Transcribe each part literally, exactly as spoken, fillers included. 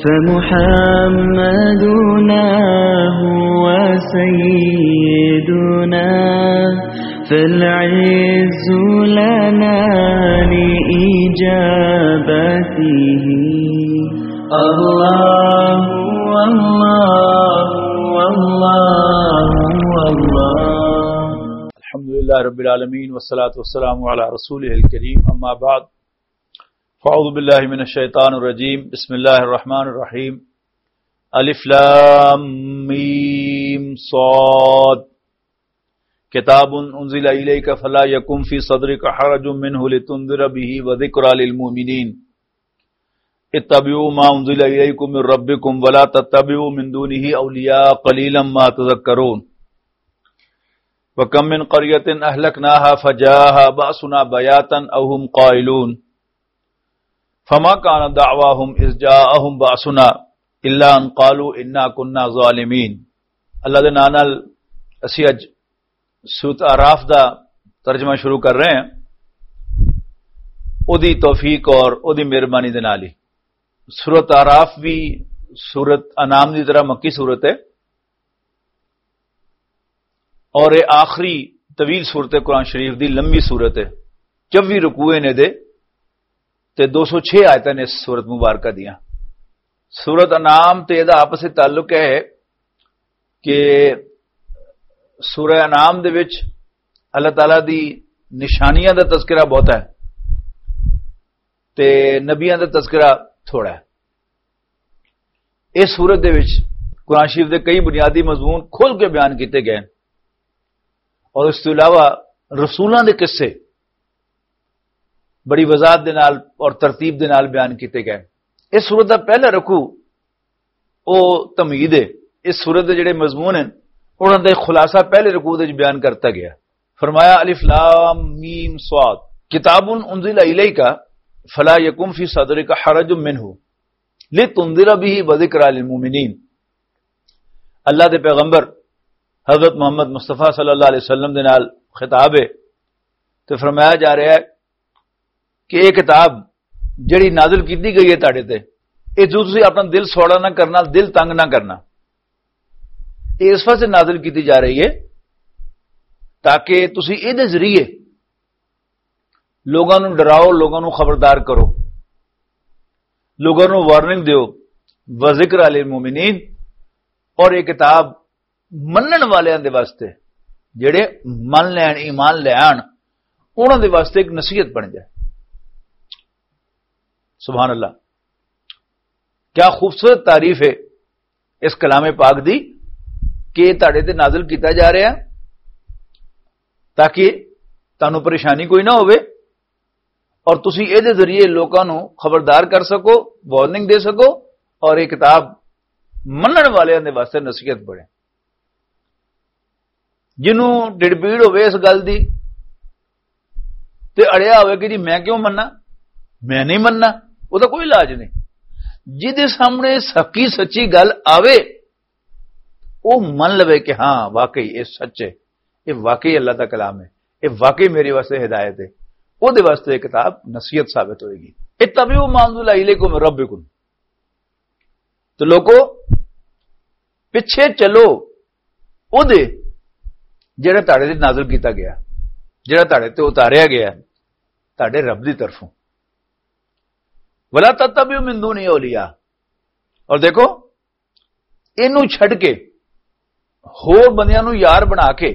فمحمدنا هو سيدنا، فالعز لنا لإجابته. الله، الله، الله، الله. الحمد لله رب العالمين، والصلاة والسلام على رسوله الكريم، أما بعد. فأعوذ بالله من الشيطان الرجيم. بسم الله الرحمن الرحيم. ألف لام ميم صاد. كتاب أنزل إليك فلا يكن في صدرك حرج منه لتنذر به وذكرى للمؤمنين. اتبعوا ما أنزل إليكم من ربكم ولا تتبعوا من دونه أولياء قليلا ما تذكرون. وكم من قرية أهلكناها فجاءها بأسنا بياتا أو هم قائلون. فما كان دعواهم إذ جاءهم بأسنا إلا أن قالوا إنا كنا ظالمين. اللہ دے نام نال اسی اج سورت آراف دا ترجمہ شروع کر رہے ہیں، او دی توفیق اور او دی مہربانی دے نال ہی۔ سورت آراف بھی سورت انعام دی طرح مکی سورت ہے، اور یہ آخری طویل سورت ہے قرآن شریف دی، لمبی سورت ہے، چوبی رکوع نے دے، تے دو سو چھ آیتاں نے اس سورت مبارکہ دیاں۔ سورت انعام تے دا آپس وچ تعلق ہے کہ سورہ انعام دے وچ اللہ تعالیٰ دی نشانیاں دا تذکرہ بہت ہے تے نبیاں دا تذکرہ تھوڑا ہے۔ اس سورت دے وچ قرآن شریف دے کئی بنیادی مضمون کھل کے بیان کیتے گئے، اور اس تو علاوہ رسولاں دے قصے بڑی وضاحت دے نال اور ترتیب دے نال بیان کیتے گئے۔ اس سورت دا پہلا رکوع او تمہید ہے۔ اس سورت دے جڑے مضمون ہیں، انہاں دا خلاصہ پہلے رکوع دے وچ بیان کرتا گیا۔ فرمایا، الف لام میم صاد، کتاب انزل الیک فلا یکن فی صدرک حرج منہ لتنذر به وذکری للمؤمنین۔ اللہ دے پیغمبر حضرت محمد مصطفیٰ صلی اللہ علیہ وسلم دے نال خطاب ہے، تے فرمایا جا رہا ہے کہ یہ کتاب جڑی نازل کیتی گئی ہے تہاڈے تے، یہ جو تسی اپنا دل سوڑا نہ کرنا، دل تنگ نہ کرنا، یہ اس واسطے نازل کیتی جا رہی ہے تاکہ تسی اے دے ذریعے لوگاں نوں ڈراؤ، لوگاں نوں خبردار کرو، لوگاں نوں وارننگ دیو۔ وذکر للمؤمنین، اور یہ کتاب منن والیاں دے واسطے، جڑے من لین، ایمان لین، انہاں دے واسطے ایک نصیحت بن جائے۔ سبحان اللہ، کیا خوبصورت تعریف ہے اس کلام پاک دی کہ یہ تہاڈے تے نازل کیتا جا رہا ہے تاکہ تانوں پریشانی کوئی نہ ہوئے، اور تسی اے دے ذریعے لوکاں نوں خبردار کر سکو، وارننگ دے سکو، اور یہ کتاب منن والیاں دے واسطے نصیحت بنے۔ جنوں ڈڑبیڑ ہوئے اس گل دی تے اڑیا ہوئے کہ جی میں کیوں مننا، میں نہیں مننا، وہ تو کوئی علاج نہیں۔ جدے سامنے سکی سچی گل آوے، وہ من لوے کہ ہاں، واقعی یہ سچ ہے، یہ واقعی اللہ کا کلام ہے، یہ واقعی میرے واسطے ہدایت ہے، وہ دے واسطے یہ کتاب نصیحت ثابت ہوئے گی۔ اتبعوا ما انزل الیکم من ربکم۔ تو لوکو، پچھے چلو او دے جڑا تہاڈے تے نازل کیتا گیا، جڑا تہاڈے تے اتاریا گیا تہاڈے رب دی طرفوں۔ ولا تتبعوا من دون اولیاء، اور دیکھو، اینوں چھڈ کے ہور بندیاں نوں یار بنا کے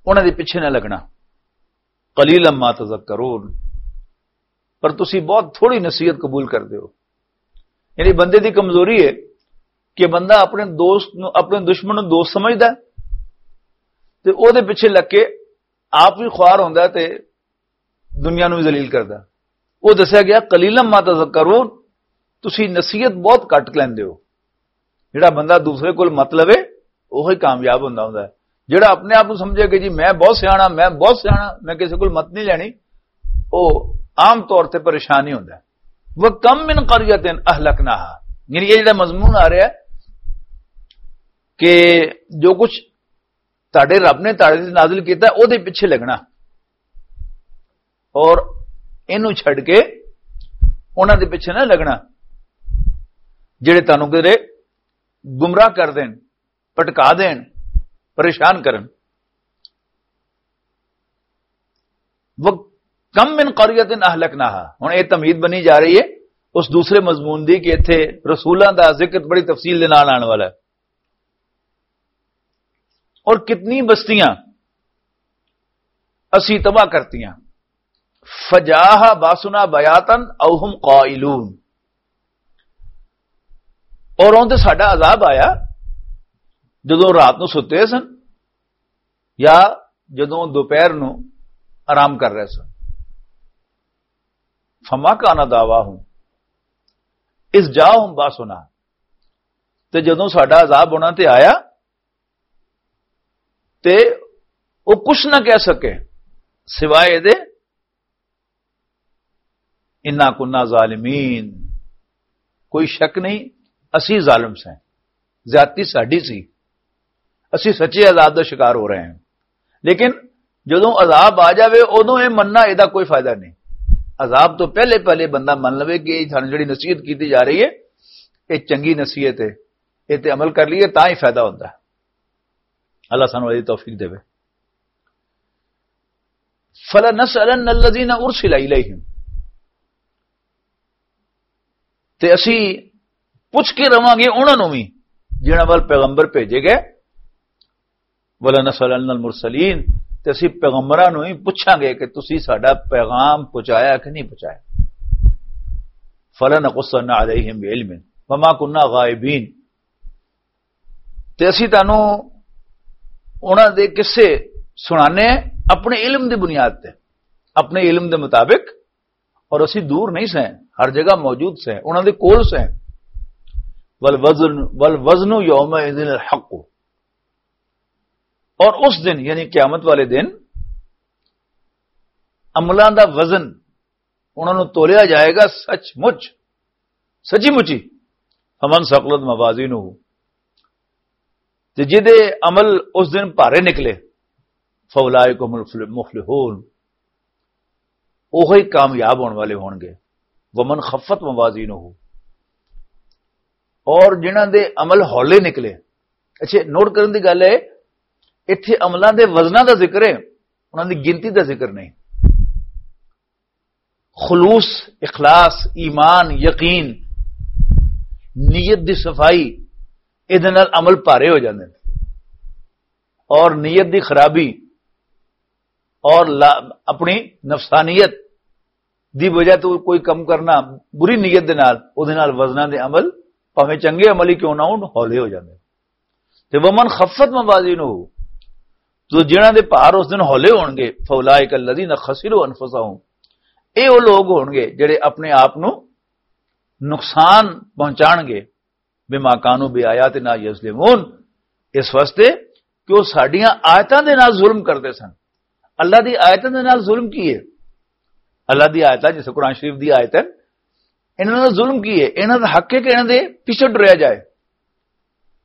انہاں دے پیچھے نہ لگنا۔ قلیلا ما تذکرون، پر تسی بہت تھوڑی نصیحت قبول کردے ہو۔ یعنی بندے دی کمزوری ہے کہ بندہ اپنے دوست نو، اپنے دشمن نو دوست سمجھدا ہے تے او دے پیچھے لگ کے آپ بھی خوار ہوندا ہے تے دنیا نو بھی ذلیل کردا۔ وہ دسیا گیا، قلیلا ما تذکرون، تسی نصیحت بہت گھٹ لیندے ہو۔ جڑا بندہ دوسرے کول مت لوے، وہی کامیاب ہوندا ہوندا ہے۔ جڑا اپنے آپ نو سمجھے کہ جی میں بہت سیانا، میں بہت سیانا، میں کسی کول مت نہیں لینی، وہ عام طور تے پریشان ہی ہوندا ہے۔ وَكَم مِّن قَرْيَةٍ أَهْلَكْنَاهَا، یعنی یہ جڑا مضمون آ رہا ہے کہ جو کچھ تہاڈے رب نے تہاڈے تے نازل کیتا ہے، او دے پیچھے لگنا، اور اینوں چھڈ کے انہاں دے پیچھے نہ لگنا۔ جڑے تانوں کدے گمراہ کر دین، پٹکا دین، پریشان کرن۔ وہ کم من قریۃ اہلکناہا۔ ہن یہ تمہید بنی جا رہی ہے اس دوسرے مضمون دی کہ اتھے رسولاں دا ذکر بڑی تفصیل دے نال آن والا ہے۔ اور کتنی بستیاں اسی تباہ کرتیاں۔ فجاء باسنا بیاتن او ہم قائلون۔ اور اون تے ساڈا عذاب آیا جدوں رات نو ستے سن یا جدوں دوپہر نو آرام کر رہے سن۔ فما کان دعواہم اذ جاءہم باسنا۔ تے جدوں ساڈا عذاب انہاں تے آیا تے وہ کچھ نہ کہہ سکے سوائے دے انا کنا ظالمین۔ کوئی شک نہیں، اسی ظالم سے، زیادتی ساڈی سی، اسی سچے عذاب دا شکار ہو رہے ہیں۔ لیکن جدوں عذاب آ جاوے، ادوں یہ مننا، یہ کوئی فائدہ نہیں۔ عذاب تو پہلے پہلے بندہ من لوے کہ یہ سانوں جڑی نصیحت کیتی جا رہی ہے، یہ چنگی نصیحت ہے، یہ تے عمل کر لیے تاں ہی فائدہ ہوتا ہے۔ اللہ سانوں یہ توفیق دے۔ فلنسألن الذین ارسل الیہم۔ تے اسی پوچھ کے رواں گے انہاں نوں وی جنہاں ول پیغمبر بھیجے گئے۔ ولنسألن المرسلین۔ تے اسی پیغمبراں نوں وی پوچھاں گے کہ تسی ساڈا پیغام پہنچایا کہ نہیں پہنچایا۔ فلنقصن علیہم بعلم وما کنا غائبین۔ تے اسی تانوں انہاں دے قصے سنانے ہیں اپنے علم دی بنیاد تے، اپنے علم دے مطابق، اور اسی دور نہیں سیں، ہر جگہ موجود سیں، انہاں دے کول سیں۔ والوزن، والوزن یومئذ الحق۔ اور اس دن، یعنی قیامت والے دن، عملاں دا وزن، انہاں نوں تولیا جائے گا سچ مچ، سچی مچی۔ فمن ثقلت موازینہ، تے جدے عمل اس دن بھارے نکلے، فاولئک هم المفلحون، اوہی کامیاب ہون والے ہون گے۔ ومن خفت موازینہ، اور جنہاں دے عمل ہولے نکلے۔ اچھے، نوٹ کرن دی گل ہے، ایتھے عملاں دے وزناں دا ذکر ہے، انہاں دی گنتی دا ذکر نہیں۔ خلوص، اخلاص، ایمان، یقین، نیت دی صفائی، اے دے نال عمل بھارے ہو جاندے نے۔ اور نیت دی خرابی اور لا-، اپنی نفسانیت دی وجہ تو کوئی کم کرنا بری نیت دے نال، او دے نال وزناں دے عمل، بھاویں چنگے عمل ہی کیوں نہ ہون، ہولے ہو جاندے۔ تے ومن خفت موازینہ، تو جنہاں دے بھار اس دن ہولے ہون گے، فاولئک الذین خسروا انفسہم، اے او لوگ ہون گے جڑے اپنے آپ نو نقصان پہنچان گے، بما کانوا بآیاتنا یظلمون، اس واسطے کہ وہ ساڈیاں آیتاں دے نال ظلم کردے سن۔ اللہ دی آیتاں دے نال ظلم کی ہے؟ اللہ دی آیتاں، جیسے قرآن شریف دی آیت ہے، انہاں دا ظلم کی ہے؟ انہاں دا حق ہے کہ انہاں دے پیچھے ٹریا جائے۔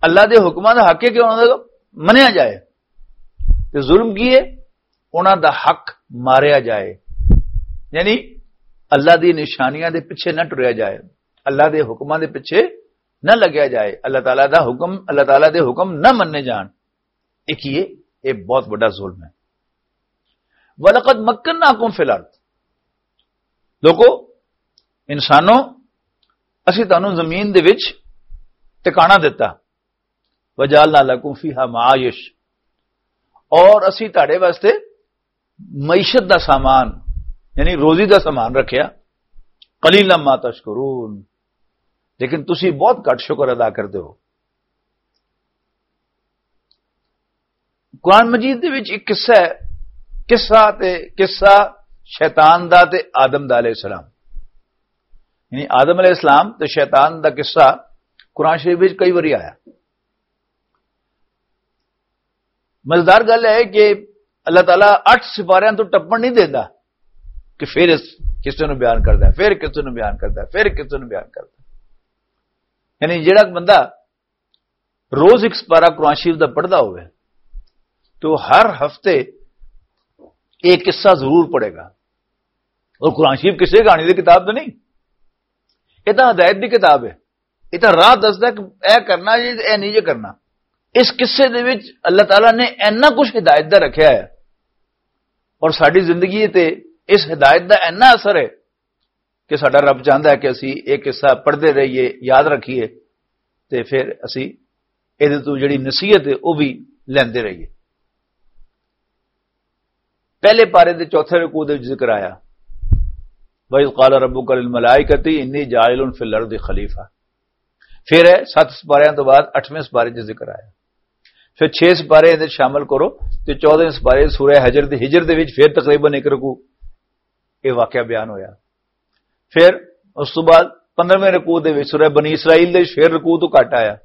اللہ دے حکماں دا حق ہے کہ انہاں دا منیا جائے۔ تے ظلم کی ہے؟ انہاں دا حق ماریا جائے۔ یعنی اللہ دی نشانیاں دے پیچھے نہ ٹریا جائے، اللہ دے حکماں دے پیچھے نہ لگیا جائے، اللہ تعالیٰ دا حکم، اللہ تعالیٰ دے حکم نہ مننے جان۔ ایک یہ، یہ بہت بڑا ظلم ہے۔ وَلَقَدْ مَكَّنَّاكُمْ فِي الْأَرْضِ۔ لوگو، انسانوں، اسی تانوں زمین دے وچ ٹکانا دتا۔ وَجَعَلْنَا لَكُمْ فِيهَا مَعَائِشَ، اور اسی تہاڈے واسطے معیشت دا سامان، یعنی روزی دا سامان رکھیا۔ قَلِيلًا مَا تَشْكُرُونَ، لیکن تسی بہت گھٹ شکر ادا کردے ہو۔ قرآن مجید دے وچ ایک قصہ ہے، قصہ تے قصہ شیطان دا تے آدم دا علیہ السلام، یعنی آدم علیہ السلام تے شیطان دا قصہ قرآن شریف وچ کئی واری آیا۔ مزیدار گل ہے کہ اللہ تعالیٰ اٹھ سپاریاں تو ٹپن نہیں دیندا کہ پھر اس قصے نو بیان کردا ہے، پھر قصے نو بیان کردا ہے، پھر قصے نو بیان کردا ہے۔ یعنی جڑا بندہ روز ایک سپارہ قرآن شریف دا پڑھدا ہوئے تو ہر ہفتے ایک قصہ ضرور پڑھے گا۔ اور قرآن شریف کسی کہانی دی کتاب تو نہیں، یہ تو ہدایت دی کتاب ہے۔ یہ تو راہ دسدا کہ اے کرنا جی، اے نہیں جی کرنا۔ اس قصے دے وچ اللہ تعالیٰ نے اینا کچھ ہدایت دا رکھیا ہے، اور ساری زندگی تے اس ہدایت دا اینا اثر ہے کہ ساڈا رب چاہندا ہے کہ اسی ایک قصہ پڑھدے رہیے، یاد رکھیے، تے پھر اسی ایدے تو جڑی نصیحت ہے، وہ بھی لیندے رہیے۔ پہلے پارے دے چوتھے رکوع دے وچ ذکر آیا، "وَإِذْ قَالَ رَبُّكَ لِلْمَلَائِكَةِ إِنِّي جَاعِلٌ فِي الْأَرْضِ خَلِيفَةً۔" پھر ہے ست سپاریاں تو بعد اٹھویں سپارے چ ذکر آیا۔ پھر چھ سپارے اندر شامل کرو، تے چودہ سپارے سورہ حجر دے، ہجر دے وچ پھر تقریباً ایک رکوع، یہ واقعہ بیان ہویا۔ پھر اس تو بعد پندرہویں رکوع دے وچ سورہ بنی اسرائیل دے وچ پھر رکوع تو گھٹ آیا۔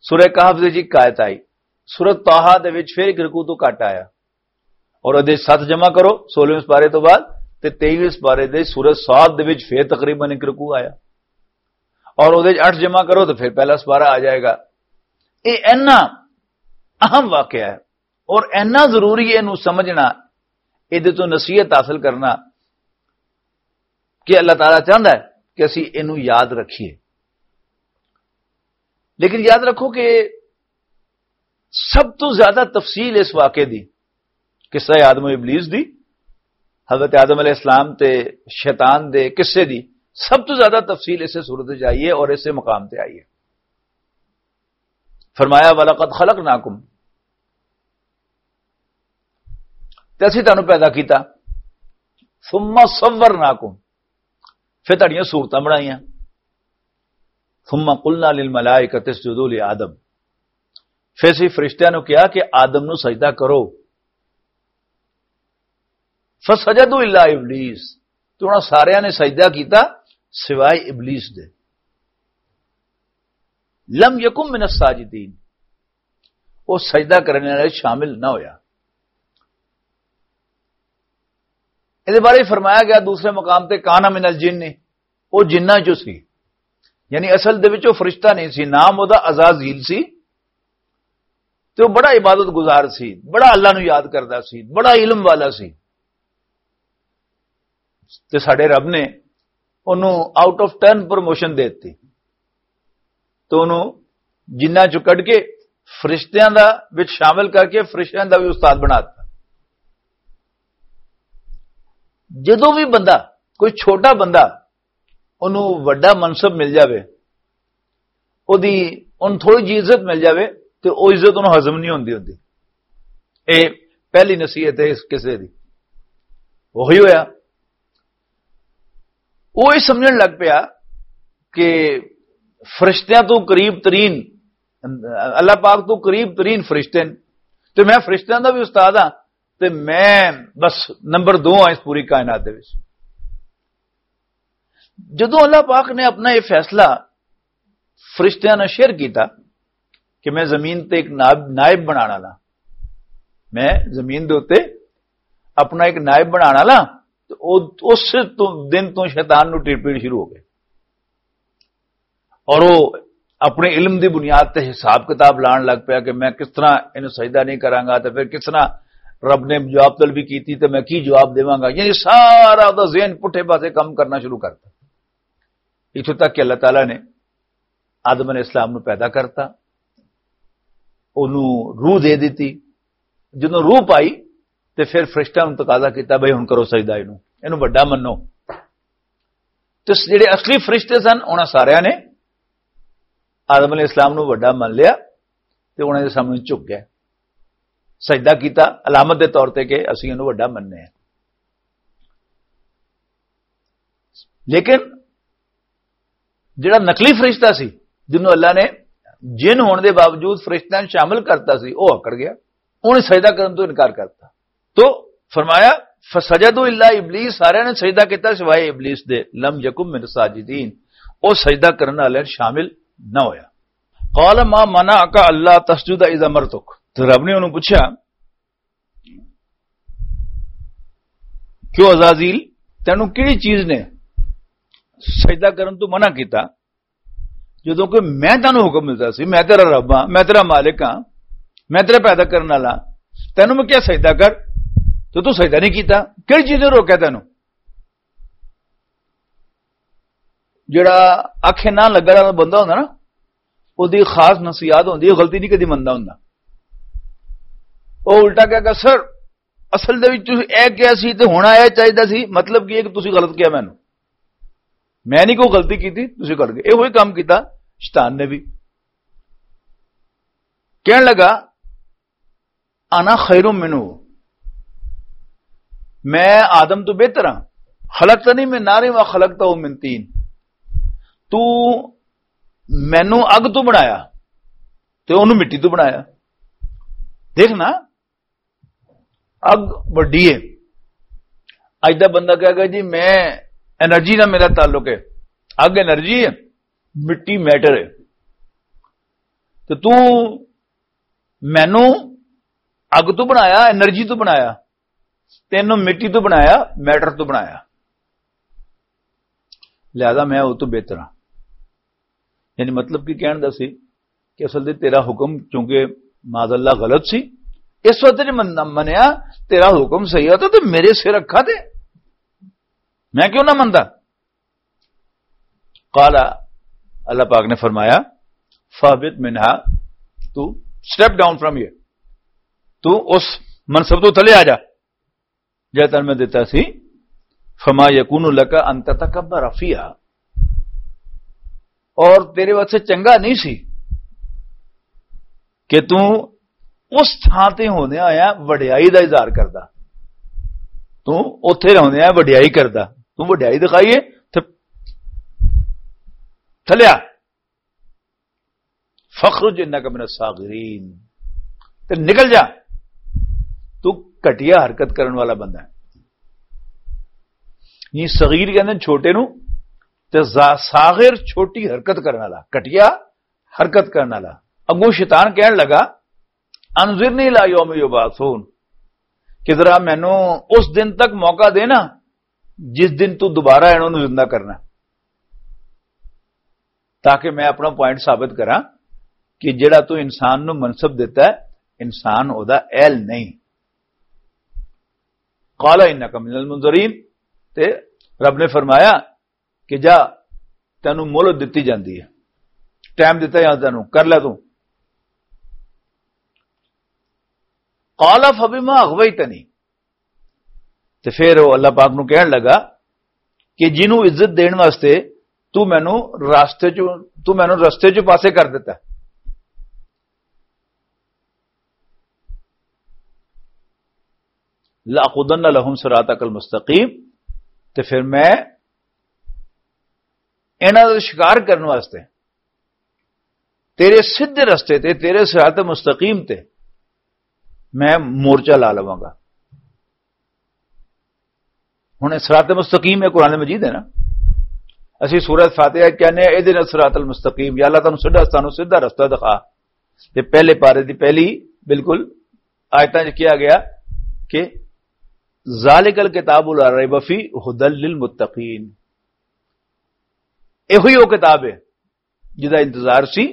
سورہ کہف دے وچ ایک آیت آئی۔ سورہ طٰہٰ دے وچ پھر ایک رکوع تو گھٹ آیا۔ اور ادے ست جمع کرو، سولہویں سپارے تو بعد، تے تئیویں سپارے دے سورہ صاد دے وچ پھر تقریباً ایک رکوع آیا۔ اور ادے اٹھ جمع کرو تو پھر پہلا سپارہ آ جائے گا۔ یہ اینا اہم واقعہ ہے اور اینا ضروری ہے اینوں سمجھنا، ادے تو نصیحت حاصل کرنا کہ اللہ تعالیٰ چاہندا ہے کہ اسی اینوں یاد رکھیے۔ لیکن یاد رکھو کہ سب تو زیادہ تفصیل اس واقعے دی، قصہ آدم و ابلیس دی، حضرت آدم علیہ السلام تے شیطان دے قصے دی سب تو زیادہ تفصیل اسے صورت وچ آئی ہے اور اسے مقام تے آئی ہے۔ فرمایا، "وَلَقَدْ خَلَقْنَاكُمْ"، تے اسی تانوں پیدا کیتا، "ثُمَّ صَوَّرْنَاكُمْ"، پھر تہاڈیاں صورتاں بنائیاں۔ "ثُمَّ قُلْنَا لِلْمَلَائِكَةِ اسْجُدُوا لِآدَمَ"، پھر اسی فرشتیاں نوں کہا کہ آدم نوں سجدہ کرو۔ "فَسَجَدُوا إِلَّا إِبْلِيسَ"، تو انہاں ساریاں نے سجدہ کیتا سوائے ابلیس دے۔ "لَمْ يَكُنْ مِنَ السَّاجِدِينَ"، وہ سجدہ کرنے والے شامل نہ ہویا۔ اس بارے فرمایا گیا دوسرے مقام تے، "کان من الجن"، وہ جناں چوں سی، یعنی اصل دے وچ وہ فرشتہ نہیں سی، نام وہ عزازیل سی، تے وہ بڑا عبادت گزار سی، بڑا اللہ نو یاد کردا سی، بڑا علم والا سی۔ تے ساڈے رب نے انہوں آؤٹ آف ٹرن پروموشن دے دتی۔ تو انہوں جنہاں چوں کڈ کے فرشتیاں دا وچ شامل کر کے فرشتیاں دا بھی استاد بنا دتا۔ جدوں بھی بندہ، کوئی چھوٹا بندہ، انہوں وڈا منصب مل جاوے، اودی، ان تھوڑی جی عزت مل جاوے، تے او عزت انہوں ہضم نہیں ہوندی ہوندی۔ اے پہلی نصیحت ہے اس قصے دی۔ وہی ہویا، وہ یہ سمجھن لگ پیا کہ فرشتیاں تو قریب ترین، اللہ پاک تو قریب ترین فرشتے ہیں، تے میں فرشتیاں دا بھی استاد ہاں، تے میں بس نمبر دو ہاں اس پوری کائنات دے وچ۔ جدوں اللہ پاک نے اپنا یہ فیصلہ فرشتیاں نال شیئر کیتا کہ میں زمین تے ایک نائب، نائب بنانا لا، میں زمین دے اُتے اپنا ایک نائب بنانا لا، تے او، اس تو، دن تو شیطان نو ٹیڑ پیڑ شروع ہو گئے۔ اور وہ اپنے علم دی بنیاد تے حساب کتاب لان لگ پیا کہ میں کس طرح انہوں سجدہ نہیں کراں گا، تے پھر کس طرح رب نے جواب طلبی کیتی تے میں کی جواب دیواں گا۔ یعنی سارا دا ذہن پٹھے پاسے کام کرنا شروع کرتا۔ اتھوں تک کہ اللہ تعالیٰ نے آدم علیہ السلام نو پیدا کرتا، اونوں روح دے دتی۔ جدوں روح پائی تے پھر فرشتیاں نوں تقاضا کیتا، "بھئی ہن کرو سجدہ، اینوں، اینوں وڈا منو۔" تے جڑے اصلی فرشتے سن، انہاں ساریاں نے آدم علیہ السلام نوں وڈا من لیا تے انہاں دے سامنے جھک گئے، سجدہ کیتا علامت دے طور تے کہ اسی اینوں وڈا مننے ہیں۔ لیکن جڑا نقلی فرشتہ سی، جنوں اللہ نے جن ہون دے باوجود فرشتیاں نوں شامل کرتا سی، وہ اکڑ گیا، انہیں سجدہ کرن تو انکار کرتا۔ تو فرمایا، "فسجدوا الا ابلیس"، سارے نے سجدہ کیتا سوائے ابلیس دے، "لم یکن من الساجدین"، وہ سجدہ کرن والے شامل نہ ہویا۔ "قال ما منعک الا تسجد اذ امرتک"، تو رب نے انہوں پوچھا، "کیوں عزازیل، تینوں کیڑی چیز نے سجدہ کرن تو منع کیتا، جدوں کہ میں تینوں حکم دتا سی، میں تیرا رب ہاں، میں تیرا مالک ہاں، میں تیرا پیدا کرن والا، تینوں میں کیا سجدہ کر، تو تو سجدہ نہیں کیتا، کیڑی چیز نے روکیا تینوں؟" جڑا اکھ نہ لگن والا بندہ ہوندا نا، اودی خاص نصیحت ہوندی ہے، غلطی نہیں کدی مندا ہوندا۔ او الٹا کہہ گا، "سر، اصل دے وچ تسی اے کہیا سی تے ہن اے چاہیدا سی، مطلب کی ہے کہ تسی غلط کہیا مینوں؟ میں نہیں کوئی غلطی کیتی، تسی کر گئے۔" اے ہوئی کام کیتا شیطان نے بھی۔ کہن لگا، "انا خیر منہ، میں آدم تو بہتر ہاں۔ خلقتنی من نار و خلقتہ من طین، تو مینوں اگ تو بنایا تے اونوں مٹی تو بنایا۔" دیکھنا، اگ وڈی ہے۔ اج دا بندہ کہے گا، "جی، میں انرجی نال میرا تعلق ہے، اگ انرجی ہے، مٹی میٹر ہے، تے تو مینوں اگ تو بنایا، انرجی تو بنایا، تینوں مٹی تو بنایا، میٹر تو بنایا، لہذا میں او تو بہتر ہاں۔" یعنی مطلب کی کہن دا سی کہ اصل دے تیرا حکم چونکہ معاذ اللہ غلط سی، اس وقت جے من-، منیا تیرا حکم صحیح ہوتا تو میرے سر رکھا دے، میں کیوں نہ مندا؟ قال، اللہ پاک نے فرمایا، "فاہبط منہا"، تو step down from here، تو اس منصب تو تھلے آ جا، جے تن میں دیتا سی، "فما یکون لک ان تتکبر فیہا"، اور تیرے واسطے چنگا نہیں سی کہ تو اس تھاں تے ہوندے ہویا وڈیائی دا اظہار کردا۔ تو اوتھے رہندے ہویا وڈیائی کردا، تو وڈیائی دکھائیے تے تھلیا۔ "فخرج انک من الصاغرین"، تے نکل جا، تو گھٹیا حرکت کرن والا بندہ ہے۔ یہ صغیر کہندے چھوٹے نو، تے زا-، صاغر چھوٹی حرکت کرن والا، گھٹیا حرکت کرن والا۔ اگوں شیطان کہن لگا، "انظرنی الی یوم یبعثون"، کہ ذرا مینوں اس دن تک موقع دے نا، جس دن تو دوبارہ انہوں نوں زندہ کرنا، تاکہ میں اپنا پوائنٹ ثابت کراں کہ جڑا تو انسان نوں منصب دیتا ہے، انسان او دا اہل نہیں۔ "قال انک من المنظرین"، تے رب نے فرمایا کہ جا، تینوں مہلت دتی جاندی ہے، ٹائم دتا جاندا تینوں، کر لے تو۔ "قال فبما اغویتنی"، تے پھر وہ اللہ پاک نو کہن لگا کہ جنوں عزت دین واسطے تو مینوں راستے چوں، تو مینوں راستے چوں پاسے کر دیتا۔ "لأقعدن لهم صراطك المستقيم"، تے پھر میں انہاں دا شکار کرن واسطے تیرے سیدھے رستے تے، تیرے صراط مستقیم تے میں مورچہ لا لواں گا۔ ہن صراط مستقیم ہے، قرآن مجید ہے نا۔ اسی سورہ فاتحہ کہنے ہیں، "اہدنا الصراط المستقیم"، یا اللہ تانوں سیدھا، تانوں سیدھا رستہ دکھا۔ تے پہلے پارے دی پہلی بالکل آیتاں 'چ کیا گیا کہ "ذالک الکتاب لا ریب فیہ ہدی للمتقین"، ایہو ہی وہ کتاب ہے جدا انتظار سی،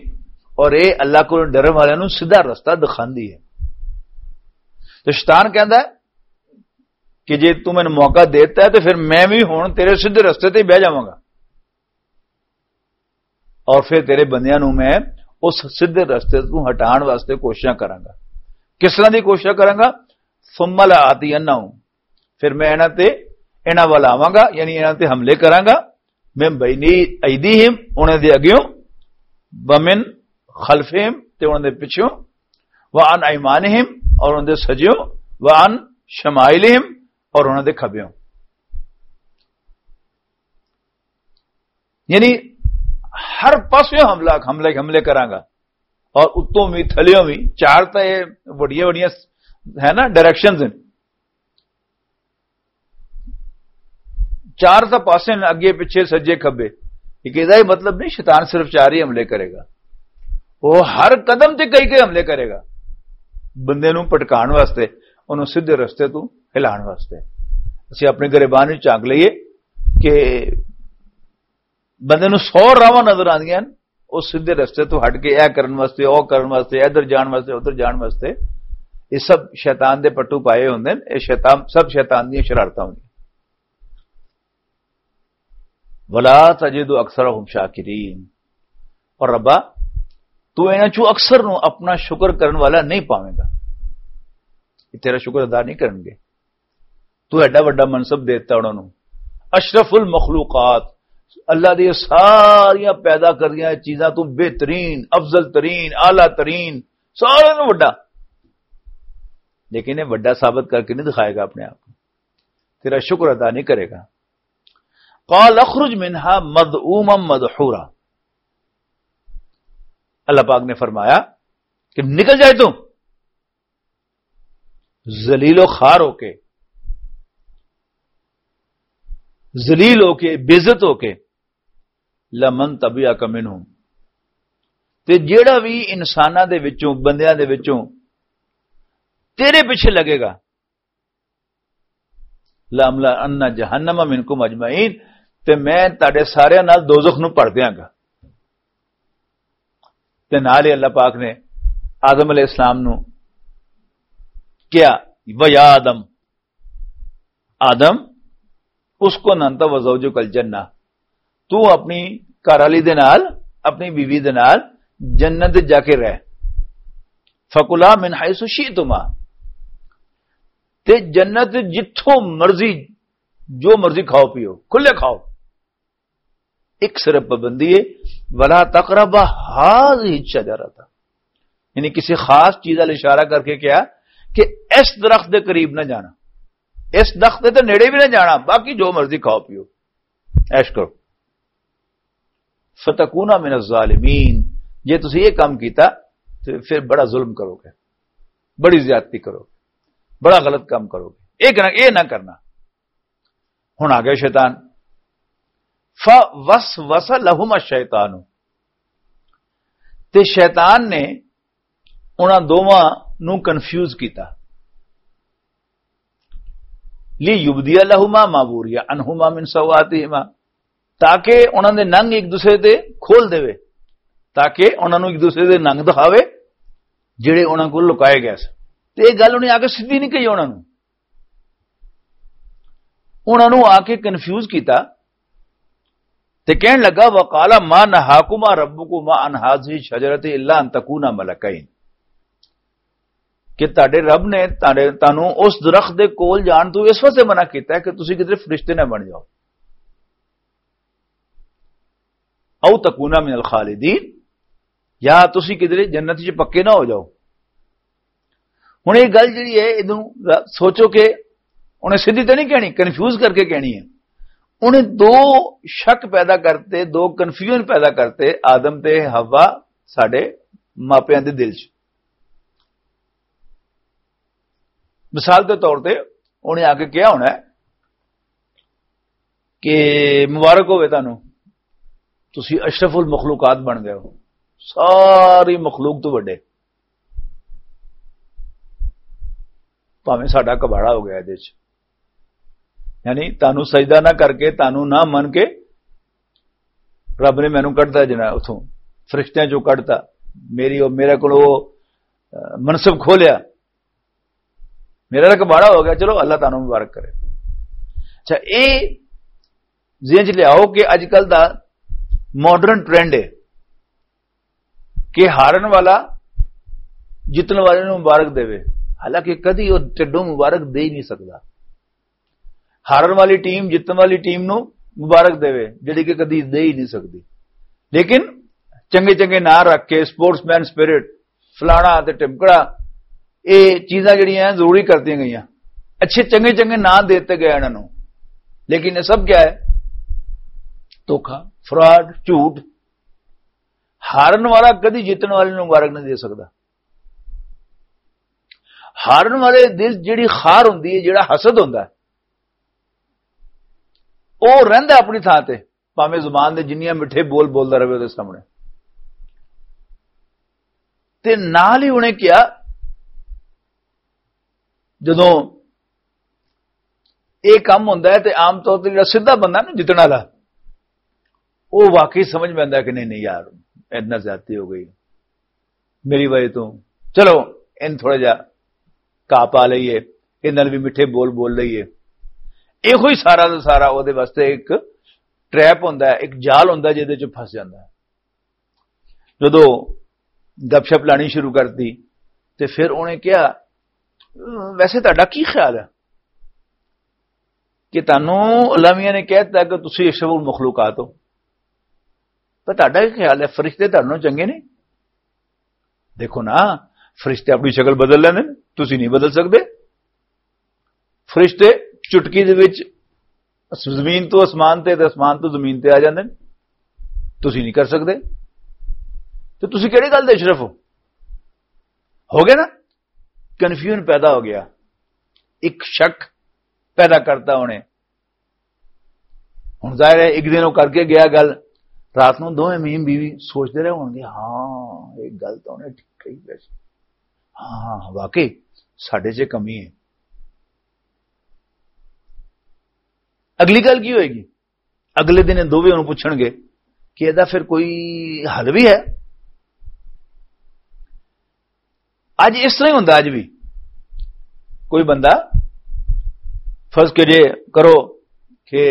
اور اے اللہ کو ڈرن والے نوں سیدھا رستہ دکھاندی ہے۔ تو شیطان کہندا ہے کہ جے تو مینوں موقع دیتا ہے تو پھر میں بھی ہن تیرے سیدھے رستے تے ہی بہ جاواں گا، اور پھر تیرے بندیاں نوں میں اس سیدھے رستے تو ہٹان واسطے کوششاں کراں گا۔ کس طرح دی کوششاں کراں گا؟ "ثم لآتینہم"، پھر میں انہاں تے، انہاں ول آواں گا، یعنی انہاں تے حملے کراں گا، "من بین ایدیہم"، انہاں دے اگیوں، "ومن خلفہم"، تے انہاں دے پچھوں، "وعن ایمانہم"، اور انہاں دے سجیوں، "وعن شمائلہم"، اور انہاں دے کھبیوں۔ یعنی ہر پاسے حملہ، حملے، حملے کراں گا، اور اتوں بھی، تھلیوں بھی۔ چار تاں یہ وڈیاں وڈیاں ہے نا، ڈائریکشنز ہیں۔ چار تاں پاسے نے، اگے پچھے، سجے کھبے۔ یہ کہدا یہ مطلب نہیں شیطان صرف چار ہی حملے کرے گا، وہ ہر قدم تے کئی کئی حملے کرے گا، بندے نوں پٹکان واسطے، انہوں سیدھے رستے تو ہلان واسطے۔ اسی اپنے گریبان وچ جھانک لئیے کہ بندے نوں سو راواں نظر آندیاں ہن، او سیدھے رستے تو ہٹ کے اے کرن واسطے، او کرن واسطے، ادھر جان واسطے، ادھر جان واسطے۔ یہ سب شیطان دے پٹو پائے ہوندے نے، یہ شیطان، سب شیطان دیاں شرارتاں ہوندیاں۔ ولا تجد اکثرہم شاکرین۔ اور ربا، تو انہاں چوں اکثر نوں اپنا شکر کرن والا نہیں پاویں گا۔ یہ تیرا شکر ادا نہیں کرن گے۔ تو ایڈا وڈا منصب دیتا انہاں نوں، اشرف المخلوقات، اللہ دی ساریاں پیدا کردیاں چیزاں تو بہترین، افضل ترین، اعلیٰ ترین، سارے نوں وڈا۔ لیکن یہ وڈا ثابت کر کے نہیں دکھائے گا اپنے آپ کو، تیرا شکر ادا نہیں کرے گا۔ قال اخرج منها مذءوما مدحورا۔ اللہ پاک نے فرمایا کہ نکل جائے تو، ذلیل و خوار ہو کے، ذلیل ہو کے، بے عزت ہو کے، لمن تبعک منہم، تے جیڑا بھی انساناں دے وچوں، بندیاں دے وچوں تیرے پیچھے لگے گا، لاملا ان جہنم منکم اجمعین، تے میں تہاڈے سارے نال دوزخ نوں بھر دیاں گا۔ تے نال ہی اللہ پاک نے آدم علیہ السلام نوں کیا، و یا آدم، آدم، اس کو ننتا و زوجک الجنہ، تو اپنی گھر والی دے نال، اپنی بیوی دے نال جنت جا کے رہ۔ فکلا من حیث شئتما، تے جنت جتھوں مرضی، جو مرضی کھاؤ پیو، کھلے کھاؤ۔ ایک صرف پابندی ہے، ولا تقربا هذه الشجرة، یعنی کسی خاص چیز وال اشارہ کر کے کہا کہ اس درخت دے قریب نہ جانا، اس درخت دے تے نیڑے بھی نہ جانا، باقی جو مرضی کھاؤ پیو، عیش کرو۔ فتکونا من الظالمین، جے تسی یہ کام کیتا تے پھر بڑا ظلم کرو گے، بڑی زیادتی کرو گے، بڑا غلط کام کرو گے۔ یہ کرنا، یہ نہ کرنا۔ ہن آ گیا شیطان۔ فوسوس لہما الشیطان، تے شیطان نے انہاں دوواں نوں کنفیوز کیتا۔ لیبدی لہما ما وری عنہما من سوآتہما، تاکہ انہاں دے ننگ ایک دوسرے تے کھول دے، تاکہ انہاں نوں ایک دوسرے دے ننگ دکھاوے جڑے انہاں کول لکائے گئے سن۔ تے یہ گل انہیں آ کے سدھی نہیں کہی انہاں نوں۔ انہاں نوں آ کے کنفیوز کیتا تے کہن لگا، وقال ما نهاكما ربكما عن هذه الشجرة إلا أن تكونا ملكين، کہ تہاڈے رب نے تہاڈے، تانوں اس درخت دے کول جان تو اس واسطے منع کیتا ہے کہ تسی کدھر فرشتے نہ بن جاؤ، او تکونا من الخالدین، یا تسی کدھر جنت چ پکے نہ ہو جاؤ۔ ہن یہ گل جڑی ہے، ادوں سوچو کہ انہیں سیدھی تے نہیں کہنی، کنفیوز کر کے کہنی ہے۔ انہیں دو شک پیدا کرتے، دو کنفیوژن پیدا کرتے آدم تے حوا، ساڈے ماپیاں دے دل چ۔ مثال دے طور تے انہیں آ کے کہا ہونا ہے کہ مبارک ہوئے تانوں، تسی اشرف المخلوقات بن گئے ہو، ساری مخلوق تو وڈے، پاویں ساڈا کباڑا ہو گیا ادے چ، یعنی تانوں سجدہ نہ کر کے، تانوں نہ من کے رب نے مینوں کڈتا جنا اتھوں، فرشتیاں چوں کڈتا، میری، میرے کول منصب کھولیا، میرا تک بڑا ہو گیا، چلو اللہ تعالیٰ مبارک کرے۔ اچھا، اے ذہن چ لیاؤ کہ اج کل دا ماڈرن ٹرینڈ ہے کہ ہارن والا جتن والے نوں مبارک دے، حالانکہ کدی وہ ٹڈوں مبارک دے ہی نہیں سکتا۔ ہارن والی ٹیم جتن والی ٹیم نوں مبارک دے، جڑی کہ کدی دے ہی نہیں سکتی۔ لیکن چنگے چنگے ناں رکھ کے، سپورٹس مین سپرٹ، فلانا تے ٹمکڑا، اے چیزاں جڑیاں ہیں ضروری کرتیاں گئیاں، اچھے چنگے چنگے ناں دیتے گئے انہاں نوں۔ لیکن یہ سب کیا ہے؟ دھوکا، فراڈ، جھوٹ۔ ہارن والا کدی جیتن والے نوں مبارک نہیں دے سکتا۔ ہارن والے دل جڑی خار ہوندی ہے، جڑا حسد ہوندا ہے، او رہندا اپنی تھاں تے، پاویں زبان دے جنیاں مٹھے بول بولدا رہے اودے سامنے۔ تے نال ہی انہیں کیا، جدوں اے کم ہوندا ہے تے عام طور تے جڑا سیدھا بندہ نا جتن والا، او واقعی سمجھ میں آندا ہے کہ نہیں، نہیں یار، اتنا زیادتی ہو گئی، میری وجہ تو، چلو، ان تھوڑا جا گھا پا لئیے، ان نال بھی مٹھے بول بول لئیے۔ ایہو ہی سارا دا سارا او دے واسطے ایک ٹریپ ہوندا ہے، ایک جال ہوندا ہے جہدے چ پھس جاندا ہے۔ جدوں گپ شپ لانی شروع کرتی تے پھر انہیں کہا، "ویسے تہاڈا کی خیال ہے کہ تانوں علماء نے کہہ دتا کہ تسی اشرف المخلوقات ہو، پر تہاڈا کی خیال ہے، فرشتے تہاڈے نال چنگے نے؟ دیکھو نا، فرشتے اپنی شکل بدل لیندے نے، تسی نہیں بدل سکدے۔ فرشتے چٹکی دے وچ زمین تو آسمان تے، تے آسمان تو زمین تے آ جاندے نے، تسی نہیں کر سکدے۔ تے تسی کہڑی گل دے اشرف ہو؟" ہو گیا نا، کنفیوژن پیدا ہو گیا، ایک شک پیدا کرتا انہیں۔ ہن ظاہر ہے، ایک دن وہ کر کے گیا گل، رات نوں دوویں میم بیوی سوچدے رہے ہون گے، "ہاں، ایک گل تو انہیں ٹھیک کہی ویسے، ہاں، واقعی ساڈے 'چ کمی ہے۔" اگلی گل کی ہوئے گی؟ اگلے دن یہ دوویں انہوں پوچھن گے کہ "ایہدا پھر کوئی حل بھی ہے؟" اج اس طرح ہی ہوندا، اج بھی کوئی بندہ فرض کریے، کرو کہ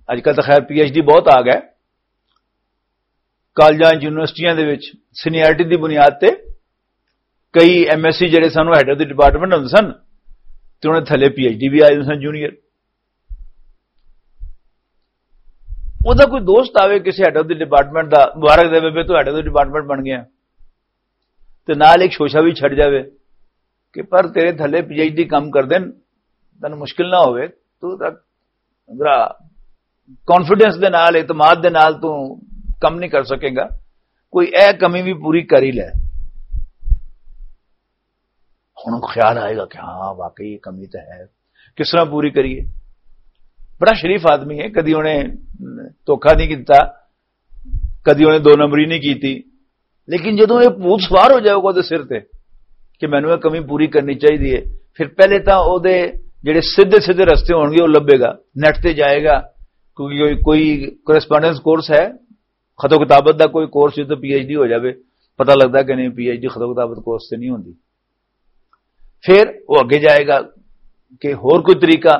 اج کل تو خیر پی ایچ ڈی بہت آ گئے، کالجاں یونیورسٹیاں دے وچ سینیئرٹی دی بنیاد تے کئی ایم ایس سی جڑے سن، وہ ہیڈ آف دی ڈپارٹمنٹ ہوندے سن، تے انہاں دے تھلے پی ایچ ڈی بھی آئے ہوندے سن، جونیئر۔ اوہدا کوئی دوست آوے کسی head of the department the, مبارک دے بے تو ہیڈ آف دی ڈپارٹمنٹ بن گیا، تے نال ایک شوشا بھی چھڈ جاوے کہ پر تیرے تھلے پی ایچ ڈی کم کر دین، تینوں مشکل نہ ہوئے، تو ذرا کانفیڈنس دے نال، اعتماد دے نال تو کم نہیں کر سکے گا، کوئی اے کمی بھی پوری کر ہی لے۔ ہن خیال آئے گا کہ ہاں، واقعی یہ کمی تو ہے، کس طرح پوری کریے؟ بڑا شریف آدمی ہے، کدی انہیں دھوکا نہیں کیتا، کدی انہیں دو نمبری نہیں کیتی۔ لیکن جدوں یہ بھوت سوار ہو جائے گا اوہدے سر تے کہ مینوں یہ کمی پوری کرنی چاہیے، پھر پہلے تاں اوہدے جڑے سیدھے سیدھے رستے ہون گے، وہ لبھے گا، نیٹ تے جائے گا، کیونکہ کوئی، کوئی کورسپونڈنس کورس ہے، خط و کتابت دا کوئی کورس، جدوں پی ایچ ڈی ہو جاوے، پتہ لگدا کہ نہیں، پی ایچ ڈی خط و کتابت کورس تے نہیں ہوندی۔ پھر وہ اگے جائے گا کہ ہور کوئی طریقہ،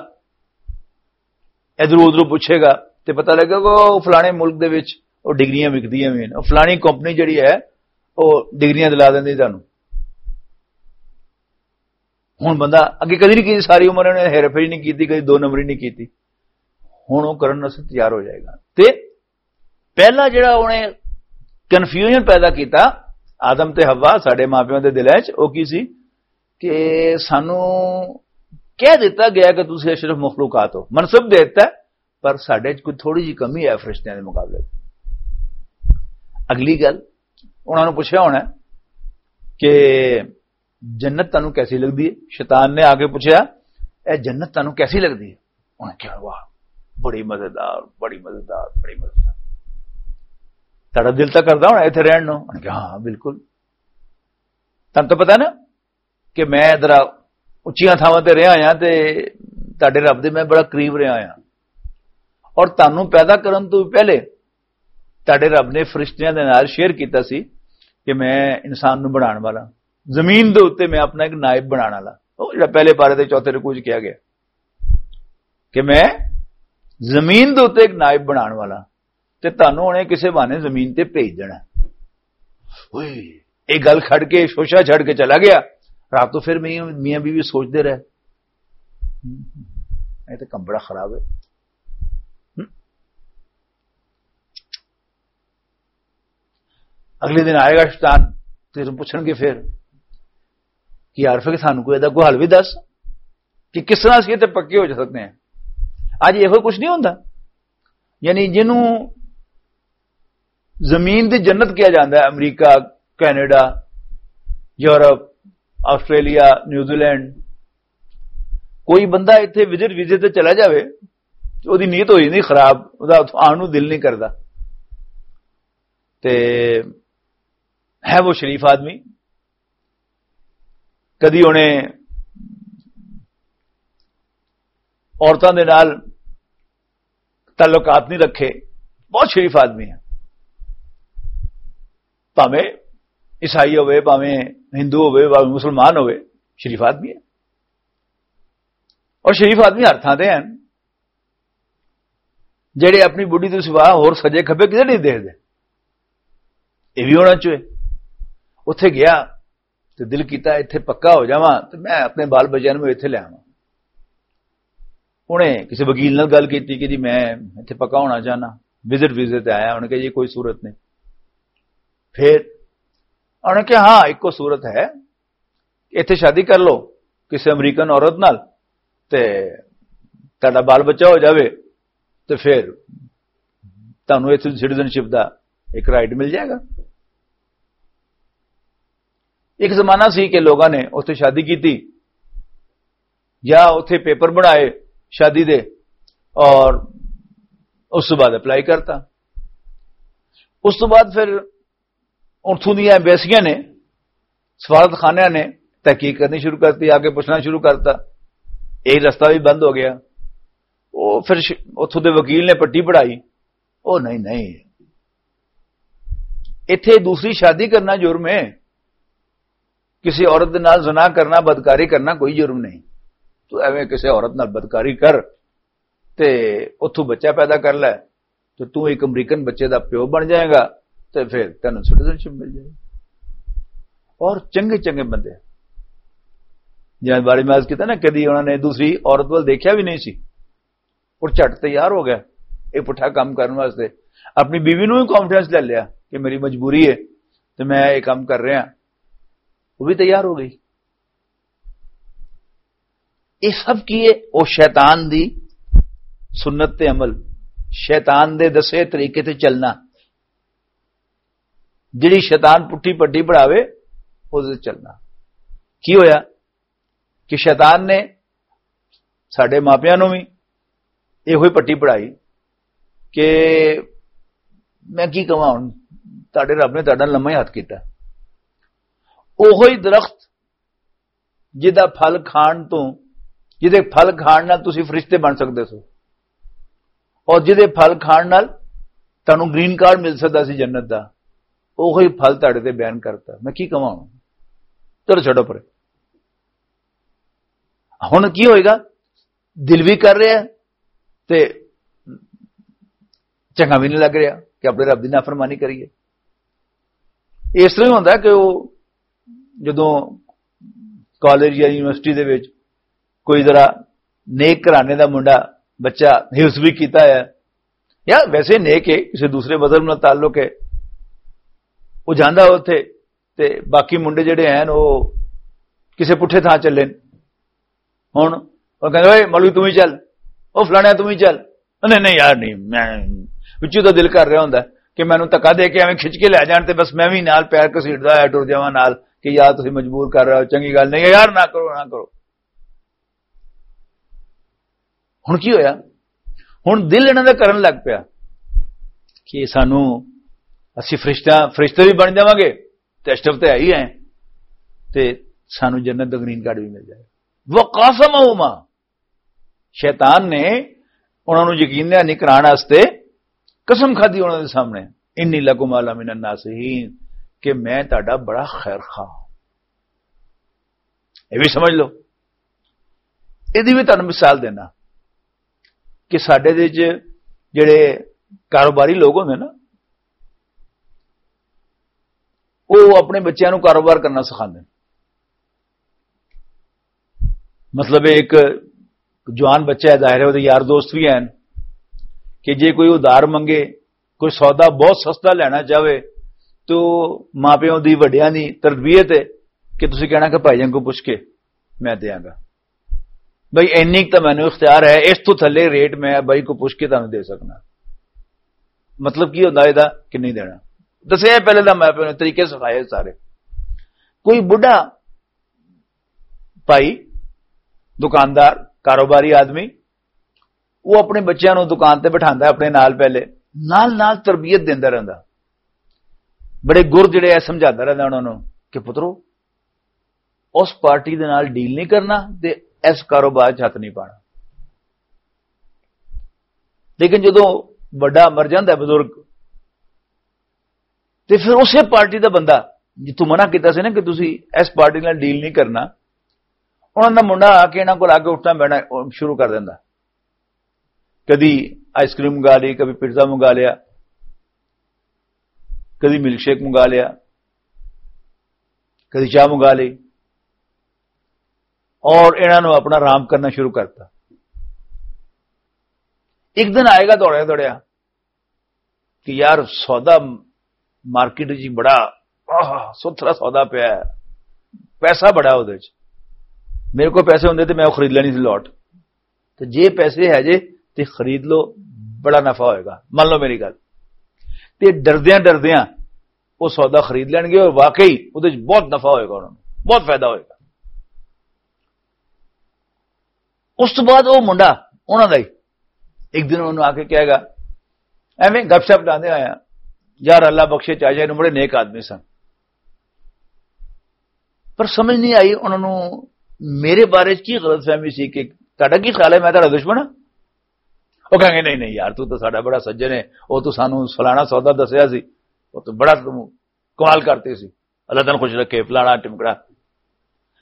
ادھروں ادھروں پوچھے گا، تے پتہ لگے گا کہ وہ فلانے ملک دے وچ وہ ڈگریاں وکدیاں ہوئیں، وہ فلانی کمپنی جڑی ہے، وہ ڈگریاں دلا دیندی تانوں۔ ہن بندہ اگے کدی نہیں کیتی، ساری عمر انہیں ہیرا پھیری نہیں کیتی، کدی دو نمبری نہیں کیتی، ہن وہ کرن واسطے تیار ہو جائے گا۔ تے پہلا جڑا انہیں کنفیوژن پیدا کیتا آدم تے حوا، ساڈے ماں پیو دے دلاں وچ، او کی سی کہ سانوں کہہ دتا گیا کہ تسی اشرف مخلوقات ہو، منصب دے دتا ہے، پر ساڈے وچ کوئی تھوڑی جی کمی ہے فرشتیاں دے مقابلے وچ۔ اگلی گل، انہاں نوں پوچھیا ہونا ہے کہ جنت تانوں کیسی لگدی ہے؟ شیطان نے آ کے پوچھیا، "اے جنت تانوں کیسی لگدی ہے؟" انہاں کہیا، "واہ، بڑی مزیدار، بڑی مزیدار، بڑی مزیدار۔" تہاڈا دل تاں کردا ہونا ایتھے رہن نوں؟ انہاں کہیا، "ہاں، بالکل۔" تانوں تاں پتہ ہے نا کہ میں ذرا اچیاں تھاواں تے رہیا ہاں تے تہاڈے رب دے میں بڑا قریب رہیا ہاں، اور تانوں پیدا کرن تو پہلے تہاڈے رب نے فرشتیاں دے نال شیئر کیتا سی کہ میں انسان نوں بنان والا، زمین دے اوتے میں اپنا ایک نائب بنان والا۔ او جڑا پہلے پارے دے چوتھے رکوع چ کہیا گیا کہ میں زمین دے اوتے ایک نائب بنان والا، تے تانوں ہن اے کسے بہانے زمین تے بھیج دینا۔ اوئے، اے گل کھڑ کے، شوشا چھڑ کے چلا گیا۔ رات تو پھر میاں، میاں بیوی سوچدے رہے، اے تے کم بڑا خراب ہے۔ اگلے دن آئے گا شیطان، تے پوچھن گے پھر کہ یار، پھر سانوں کوئی ایدا کوئی حل بھی دس کہ کس طرح اسی تے پکے ہو جا سکتے ہیں۔ اج ایہو کچھ نہیں ہوندا، یعنی جنوں زمین دی جنت کہا جاندا ہے، امریکہ، Canada, Europe, Australia, New Zealand, کوئی بندہ اتھے وزٹ ویزے تے چلا جاوے، تے اوہدی نیت ہو جاندی خراب، اوہدا آن نوں دل نہیں کردا۔ تے ہے وہ شریف آدمی، کدی انہیں عورتاں دے نال تعلقات نہیں رکھے، بہت شریف آدمی ہے، بھاویں عیسائی ہوئے، بھاویں ہندو ہوئے، بھاویں مسلمان ہوئے، شریف آدمی ہے۔ اور شریف آدمی ہر تھاں تے ہیں۔ جڑے اپنی بڈھی تو سوا ہور سجے کھبے کدھر نہیں دیکھتے۔ یہ بھی ہونا چاہیے۔ اتھے گیا تے دل کیتا، "اتھے پکا ہو جاواں تے میں اپنے بال بچیاں نوں اتھے لے آواں۔" انہیں کسی وکیل نال گل کیتی کہ جی میں اتھے پکا ہونا چاہنا، وزٹ ویزے تے آیا۔ انہیں کہا جی کوئی صورت نہیں۔ پھر انہیں کہا ہاں، ایک کو صورت ہے، اتھے شادی کر لو کسی امریکن عورت نال، تے تہاڈا بال بچہ ہو جاوے، تے پھر تہانوں اتھے سٹیزن شپ دا ایک رائٹ مل جائے گا۔ ایک زمانہ سی کہ لوگاں نے اتھے شادی کیتی یا اتھے پیپر بنائے شادی دے، اور اس تو بعد اپلائی کرتا۔ اس تو بعد پھر اتھوں دیاں ایمبیسیاں نے، سفارت خانیاں نے تحقیق کرنی شروع کرتی، آگے پوچھنا شروع کرتا۔ یہ رستہ بھی بند ہو گیا۔ وہ پھر ش-، اتھوں دے وکیل نے پٹی پڑھائی، "او نہیں، نہیں، ایتھے دوسری شادی کرنا جرم ہے، کسی عورت دے نال زنا کرنا، بدکاری کرنا کوئی جرم نہیں۔ تو ایویں کسی عورت نال بدکاری کر تے اتھوں بچہ پیدا کر لے، تے تو ایک امریکن بچے دا پیو بن جائے گا، تے پھر تینوں سٹیزن شپ مل جائے گی۔" اور چنگے چنگے بندے، جنہاں بارے میں عرض کیتا نا، کدی انہوں نے دوسری عورت وال دیکھیا بھی نہیں سی، اور جھٹ تیار ہو گیا یہ پٹھا کام کرن واسطے۔ اپنی بیوی نوں بھی کانفیڈنس لے لیا کہ میری مجبوری ہے تے میں یہ کام کر رہا، وہ بھی تیار ہو گئی۔ یہ سب کی ہے؟ وہ شیطان دی سنت تے عمل، شیطان دے دسے طریقے تے چلنا۔ جڑی شیطان پٹھی پٹی پڑھاوے، اس تے چلنا۔ کی ہویا کہ شیطان نے ساڈے ماپیاں نوں وی ایہو ہی پٹی پڑھائی کہ میں کی کہاں ہن، تہاڈے رب نے تہاڈا لمحہ ہی ہاتھ کیتا۔ اوہو ہی درخت جہدا پھل کھان تو، جہدے پھل کھان نال تسی فرشتے بن سکدے سو، اور جہدے پھل کھان نال تانوں گرین کارڈ مل سکدا سی جنت دا، اوہو ہی پھل تہاڈے تے بیان کرتا۔ میں کی کہاں ہن؟ چلو چھڈو پرے۔ ہن کی ہوئے گا؟ دل بھی کر رہا ہے تے چنگا بھی نہیں لگ رہا کہ اپنے رب دی نافرمانی کریے۔ اس طرح ہی ہوندا کہ وہ جدوں کالج یا یونیورسٹی دے وچ کوئی ذرا نیک گھرانے دا منڈا، بچہ حفظ بھی کیتا ہے، یا ویسے نیک ہے، کسی دوسرے مذہب نال تعلق ہے، وہ جاندا اتھے، تے باقی منڈے جڑے ہیں وہ کسے پٹھے تھاں چلے نے۔ ہن وہ کہندے، "اوئے مولوی، توں ہی چل، او فلانے، توں ہی چل۔" نہیں، نہیں یار، نہیں، میں وچوں تو دل کر رہا ہوندا کہ مینوں دھکا دے کے ایویں کھچ کے لے جان تے بس میں بھی نال پیر گھسیٹدا ہویا ٹر جاواں نال کہ یار، تسی مجبور کر رہے ہو، چنگی گل نہیں ہے یار، نہ کرو، نہ کرو۔ ہن کی ہویا؟ ہن دل انہاں دا کرن لگ پیا کہ سانوں، اسی فرشتہ، فرشتے بھی بن جاواں گے، تے اشرف تے ہے ہی ہیں، تے سانوں جنت دا گرین کارڈ بھی مل جائے۔ وقاسمہما، شیطان نے انہاں نوں یقین دہانی کران واسطے قسم کھادی انہاں دے سامنے، "انی لکما لمن الناصحین"، کہ میں تہاڈا بڑا خیر خواہ ہاں۔ یہ بھی سمجھ لو۔ یہ بھی تہانوں مثال دینا کہ ساڈے دے وچ جڑے کاروباری لوگ ہوندے نا، وہ اپنے بچیاں نوں کاروبار کرنا سکھاندے نے۔ مطلب، ایک جوان بچہ ہے، ظاہر ہے، وہ یار دوست بھی ہیں کہ جے کوئی ادھار منگے، کوئی سودا بہت سستا لینا چاہے، تو ماں پیو دی، وڈیاں دی تربیت ہے کہ تسی کہنا کہ بھائی جان کو پوچھ کے میں دیاں گا۔ بھائی، اینی تو مینوں اختیار ہے، اس تو تھلے ریٹ میں بھائی کو پوچھ کے تانوں دے سکنا۔ مطلب کی ہوندا ہے دا کہ نہیں دینا؟ دسیا پہلے دا، میں اپنے طریقے سکھائے سارے۔ کوئی بڈھا بھائی، دکاندار، کاروباری آدمی، وہ اپنے بچیاں نوں دکان تے بٹھاندا ہے اپنے نال، پہلے نال نال تربیت دیندا رہندا، بڑے گر جڑے ہے سمجھاتا رہندا انہاں نوں کہ پترو، اس پارٹی دے نال ڈیل نہیں کرنا تے اس کاروبار چ ہاتھ نہیں پانا۔ لیکن جدوں بڑا مر جاندا ہے بزرگ، تے پھر اسے پارٹی دا بندہ جتوں منع کیتا سی نا کہ تسی اس پارٹی نال ڈیل نہیں کرنا، انہاں دا منڈا آ کے انہاں کول آ کے اٹھنا بیٹھنا شروع کر دیندا۔ کدی آئس کریم منگا لی، کبھی پیزا منگا لیا، کدی ملک شیک منگا لیا، کدی چاہ منگا لی، اور انہاں نوں اپنا آرام کرنا شروع کرتا۔ ایک دن آئے گا دوڑیا دوڑیا کہ یار، سودا مارکیٹ جی بڑا، آہ، ستھرا سودا پیا ہے، پیسہ بڑا اودے وچ۔ میرے کو پیسے ہوندے تے میں او خرید لینی سی لاٹ۔ تے جے پیسے ہے جے، تے خرید لو، بڑا نفع ہوئے گا، من لو میری گل۔ تے ڈردیاں ڈردیاں او سودا خرید لین گے، اور واقعی اودے وچ بہت نفع ہوئے گا انہاں نوں، بہت فائدہ ہوئے گا۔ اس تو بعد او منڈا، انہاں دا ہی، ایک دن انہوں آ کے کہے گا، ایویں گپ شپ لاندے آیا، یار، اللہ بخشے چاچا، انہوں بڑے نیک آدمی سن، پر سمجھ نہیں آئی انہوں نوں میرے بارے چ کی غلط فہمی سی کہ تہاڈا کی خیال ہے، میں تہاڈا دشمن ہاں؟ وہ کہیں گے، نہیں نہیں یار، تو تو ساڈا بڑا سجن ہے، وہ تو سانو فلانا سودا دسیا سی، وہ تو بڑا تو کمال کرتے سی، اللہ تینوں خوش رکھے، فلانا ٹمکڑا۔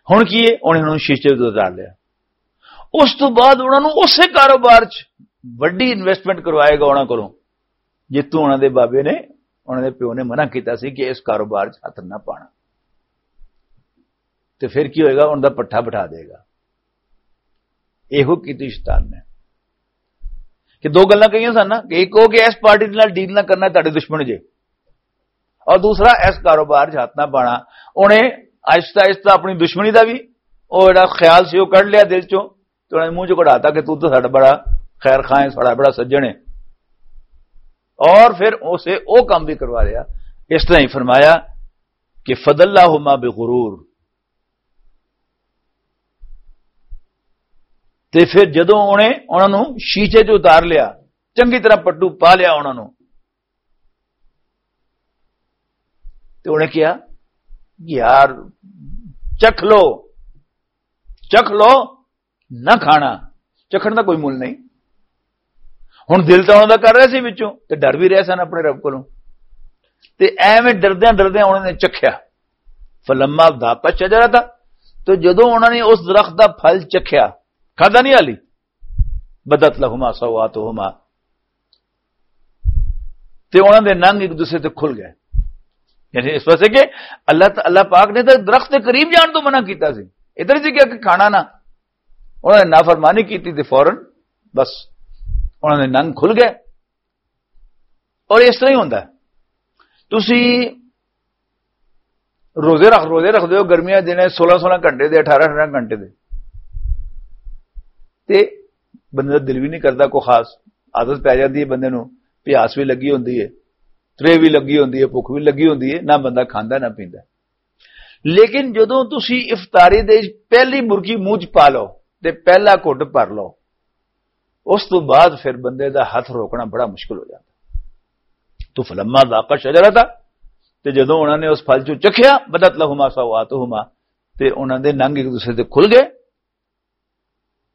ہن کی ہے؟ انہوں نے شیشے تو اتار لیا۔ اس تو بعد انہوں نے اسے کاروبار چ وڈی انویسٹمنٹ کروائے گا انہوں کولوں، جتوں انہوں دے بابے نے، انہوں دے پیو نے منع کیتا سی کہ اس کاروبار چ ہاتھ نہ پانا۔ تے پھر کی ہوئے گا؟ انہوں دا پٹھا بٹھا دے گا۔ ایہو کیتی شیطان نے کہ دو گلاں کہیاں سن نا، کہ ایک ہو کہ اس پارٹی دے نال ڈیل نہ کرنا، تہاڈے دشمن جے، اور دوسرا اس کاروبار 'چ ہاتھ نہ پانا۔ انہیں آہستہ آہستہ اپنی دشمنی دا بھی او جڑا خیال سی، او کڈ لیا دل چوں، تے انہاں نے منہ چوں کڈاتا کہ تو تو ساڈا بڑا خیر خواہ ہے، ساڈا بڑا سجن ہے۔ اور پھر اسے او کام بھی کروا لیا۔ اس طرح ہی فرمایا کہ فضلہما بغرور، تے پھر جدوں انہیں انہاں نوں شیشے چ اتار لیا، چنگی طرح پٹو پا لیا انہاں نوں، تے انہیں کہیا، یار، چکھ لو، چکھ لو، نہ کھانا۔ چکھن دا کوئی مل نہیں۔ ہن دل تاں انہاں دا کر رہا سی وچوں، تے ڈر بھی رہے سن اپنے رب کولوں۔ تے ایویں ڈردیاں ڈردیاں انہاں نے چکھیا۔ فلما ذاقا الشجرۃ، تو جدوں انہاں نے اس درخت دا پھل چکھیا، کھادا نہیں حالی، بدت لہما سوآتہما، تے انہاں دے ننگ ایک دوسرے تے کھل گئے۔ یعنی اس واسطے کہ اللہ، اللہ پاک نے تو درخت دے قریب جان تو منع کیتا سی، ادھر سی کیا کہ کھانا نہ۔ انہاں نے نافرمانی کیتی تے فوراً بس انہاں دے ننگ کھل گئے۔ اور اس طرح ہی ہوندا ہے، تسی روزے رکھ، روزے رکھ دیو، گرمیاں دے دن سولہ سولہ گھنٹے دے، اٹھارہ اٹھارہ گھنٹے دے، تے بندے دا دل بھی نہیں کردا، کوئی خاص عادت پی جاندی ہے بندے نوں، پیاس بھی لگی ہوندی ہے، ترے بھی لگی ہوندی ہے، بھوک بھی لگی ہوندی ہے، نہ بندہ کھاندا نہ پیندا۔ لیکن جدوں تسی افطاری دے پہلی مرغی منہ چ پا لو تے پہلا گھٹ بھر لو، اس تو بعد پھر بندے دا ہاتھ روکنا بڑا مشکل ہو جاتا۔ تو فلما ذاقا الشجرۃ، تے جدوں انہاں نے اس پھل چوں چکھیا، بدت لہما سوآتہما، تے انہاں دے ننگ ایک دوسرے تے کھل گئے۔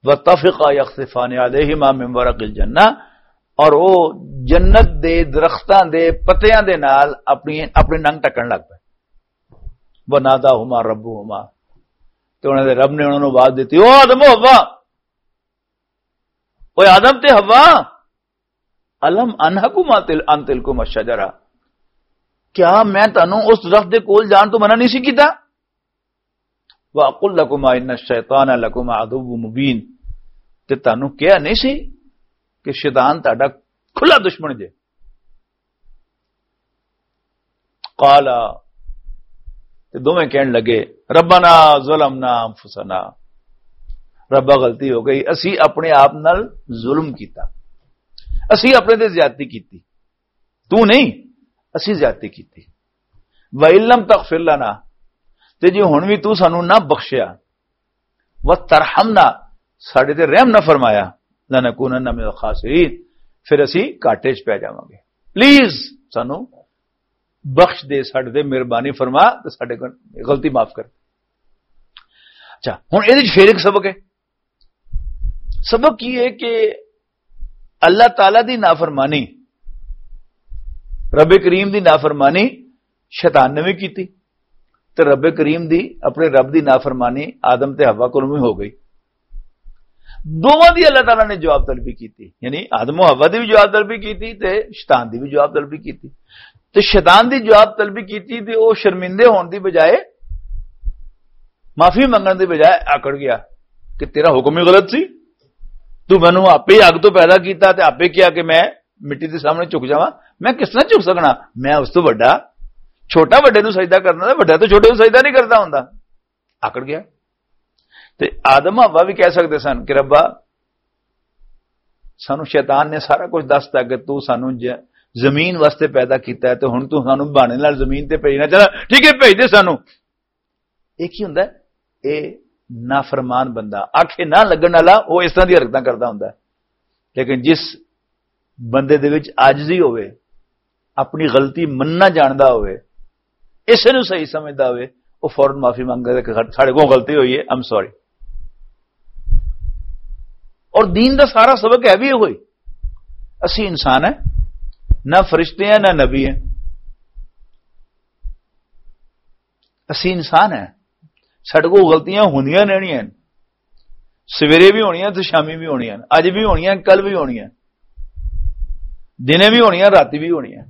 وطفقا یخصفان علیہما من ورق الجنہ، اور وہ جنت دے درختاں دے پتیاں دے نال اپنی، اپنے ننگ ٹکن لگ پئے۔ وناداہما ربہما، تے انہاں دے رب نے انہاں نوں آواز دتی، او آدم و حوا، او آدم تے حوا، الم انہکما تل-، ان تلکما الشجرۃ، کیا میں تانوں اس درخت دے کول جان تو منع نہیں سی کیتا؟ واقل لکما ان الشیطان لکما عدو مبین، تے تانوں کہیا نہیں سی کہ شیطان تہاڈا کھلا دشمن جے؟ قالا، تے دوویں کہن لگے، ربنا ظلمنا انفسنا، ربا غلطی ہو گئی، اسی اپنے آپ نال ظلم کیتا، اسی اپنے تے زیادتی کیتی، تو نہیں، اسی زیادتی کیتی۔ وَإِن لَّمْ تَغْفِرْ لَنَا، تے جے ہن وی تو سانو نہ بخشیا، وَتَرْحَمْنَا، ساڈے تے رحم نہ فرمایا، لَنَكُونَنَّ مِنَ الْخَاسِرِينَ، پھر اسی گھاٹے چ پی جاواں گے۔ پلیز سانو بخش دے، ساڈے تے مہربانی فرما تے ساڈے کول غلطی معاف کر۔ اچھا، ہن اے وچ فیر ایک سبق ہے۔ سبق یہ ہے کہ اللہ تعالیٰ دی نافرمانی، رب کریم دی نافرمانی شیطان نے بھی کیتی، تے رب کریم دی، اپنے رب دی نافرمانی آدم تے حوا کولوں بھی ہو گئی۔ دوواں دی اللہ تعالیٰ نے جواب طلبی کیتی، یعنی آدم و حوا دی بھی جواب طلبی کیتی تے شیطان دی بھی جواب طلبی کیتی۔ تے شیطان دی جواب طلبی کیتی تے او شرمندے ہون دی بجائے، معافی منگن دی بجائے آکڑ گیا کہ تیرا حکم ہی غلط سی، تو مینوں آپے ہی اگ تو پیدا کیتا تے آپے کیا کہ میں مٹی دے سامنے جھک جاواں؟ میں کس طرح جھک سکنا؟ میں اس تو وڈا، چھوٹا وڈے نوں سجدہ کرنا تے وڈا تو چھوٹے نوں سجدہ نہیں کردا ہوندا۔ آکڑ گیا۔ تے آدم حوا بھی کہہ سکدے سن کہ ربا، سانو شیطان نے سارا کچھ دستا کہ تو سانو ج-، زمین واسطے پیدا کیتا ہے، تے ہن تو سانو بہانے نال زمین تے بھیجنا چاہنا، ٹھیک ہے، بھیج دے سانو۔ یہ کی ہوندا ہے؟ اے نافرمان بندہ، آکھے نہ لگن والا، وہ اس طرح دی حرکتاں کردا ہوندا ہے۔ لیکن جس بندے دے وچ عاجزی ہوئے، اپنی غلطی مننا جاندا ہوئے، اسے نوں صحیح سمجھدا ہوئے، وہ فوراً معافی منگ لے کہ ساڈے کول غلطی ہوئی ہے، آئی ایم سوری۔ اور دین دا سارا سبق ہے بھی ہوئی، اسی انسان ہیں، نہ فرشتے ہیں نہ نبی ہیں، اسی انسان ہیں۔ ساڈے کول غلطیاں ہوندیاں رہنیاں ہیں، سویرے بھی ہونیاں تے شامی بھی ہونیاں، اج بھی ہونیاں، کل بھی ہونیاں، دنے بھی ہونیاں، راتی بھی ہونیاں۔